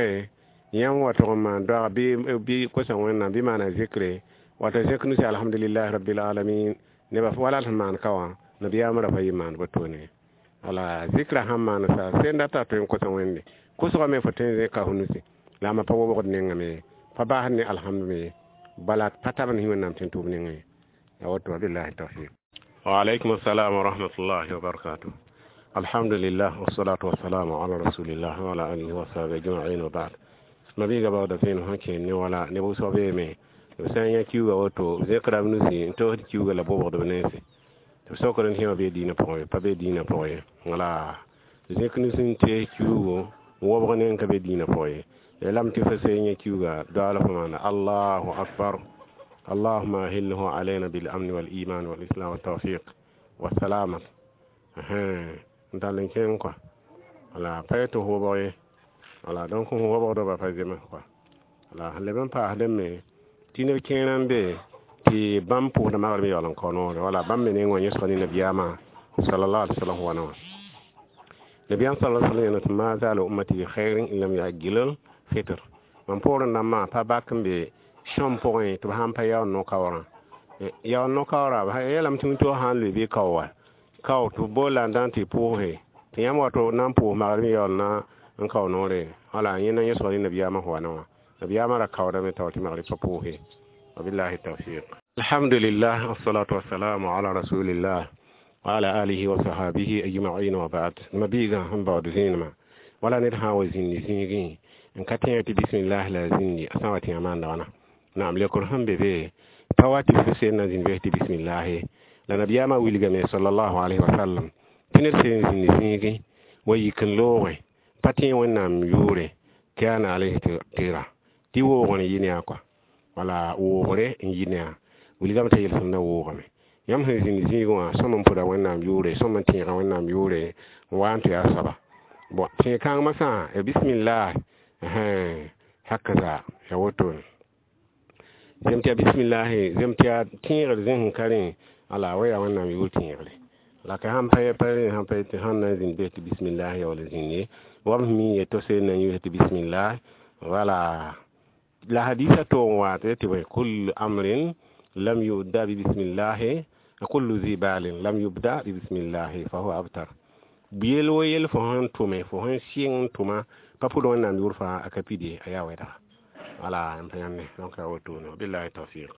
yãmb wa tʋg n maan doaaga bɩ kosa Wẽnnaam bɩ maana zikre wata zẽk nusi, alhamdulillahi rabbil alamin, nebã wala sẽn maan ka wã, nabiyaamã ra pa yɩ maan wotone. Wala zikra sãn maan sa sẽn data tõe n kosa Wẽnde kosgame, fo tõe n zẽka fo nusi la a pa wobgd nengame, pa baasd ne alhamdu me, bala pa tabend sẽ Wẽnnaam tõe n tʋʋm nengẽ ya woto. Billahi tawfiq. Wa alaykum assalam wa rahmatullahi wa barakatuh. Alhamdulillah, wassalatu wassalamu ala rasulillah wa ala alihi wa sahbihi ajma'in, wa ba'd. Mabiiga baooda vẽenem sẽn kẽed ne wala neb wʋsg beeme b sã n yã kiuga woto, b zẽkra b nusi n toosd kiuga la bobgd b nense tɩ b sokd n tẽ wã bee diinã pʋgẽ ye, pa be diinã pʋgẽ ye. Wala zẽk nus n tees kiugo wobg neng ka be diinã pʋgẽ ye. Ya lame tɩ fo sẽn yã kiuga doaala fo maana allahu akbar, allahuma ahillahu alayna bil amni wal iman wal islam wa tawfiq wa salama n tall n kẽng kɔa. Wala pa yetɩ f wobg ye, wala donc f wobgdba pa zems kɔa. Wala sẽn leb n paasdẽ me tɩ neb kẽerã n be tɩ bãmb pʋʋsda magrem yaool n kao noore. Wala bãmb me neng wã yẽsg ne nabiyaamã sallallahu alaihi wasallam wãna wã. Nabiyaam sallallahu alaihi wasallam tɩ ma zaala ummati bi khairin in lam yuajjilul fitr. Mam poorẽ dãmbã pa bak n be sõm pʋgẽ tɩ b sãn pa yaool no-kaoorã, yaool no-kaoorã yeelame tɩ wĩntoog sã n lʋɩ bɩ kao wa kao tɩ b bool la n dã n tɩ pʋʋse tɩ yãmb wato na n pʋʋs magrem yaool na n kao noore. Wala yẽ na yẽsg ne nabiyaamã wãna wã, nabiyaamã ra kaoodame tao tɩ magr pa pʋʋse. Wabillahi tawfiq. Alhamdulillah, wassalatu wassalamu ala rasulillah wa ala alihi wa sahabihi ajma'in, wa ba'd. Mabiiga sẽn baood zẽenemã wala ned sã n wa zĩndi zĩigẽ n ka tẽeg tɩ bismillah la a zĩndi, a sã n wa tɩ a maanda wãna? Naam, lekr sẽn be be pa wa tɩ fo seen na zĩnd bes tɩ bismillahi la nabiyaamã wilgame sallallahu alaihi wasallam tɩ ned seen zĩndi zĩigẽ wa yik n loogẽ pa tẽ Wẽnnaam yʋʋre kana alayhi tɩra tɩ woogr n yɩ ne a kɔa. Wala woogre n yɩ ne a wilgame t'a yelsem na woogame. Yãmb sẽn zĩnd zĩigẽ wã sõm n pʋda Wẽnnaam yʋʋre, sõm n tẽega Wẽnnaam yʋʋre n wa n tɩ yaa soaba bon tẽeg kãngmã sã ya bismillah hakaza ya wotone zem tɩ ya bismillahi, zem tɩ yaa tẽegr zẽs n ka rẽ ala wa yaa Wẽnnaam yʋʋr tẽegre la ka sãn pa pa rẽ sãn pa tɩ sãn na n zĩnd bes tɩ bismillah ya wala zĩnd wa b mi ye to seen na n yʋʋs tɩ bismillah. Wala la hadisa to n wa tɩ bõe kullu amrin lam yubda bi bismillahi, kullu zi balin lam yubda bi bismillahi fa huwa abtar. Yel wo yel fo sẽn tʋme, fo sẽn sɩng n tʋma pa pʋd Wẽnnaam yʋʋr fãa a ka pide a yaa wɛdga. Wala n pa yãmbe donc a wotone. Billahi tawfiq.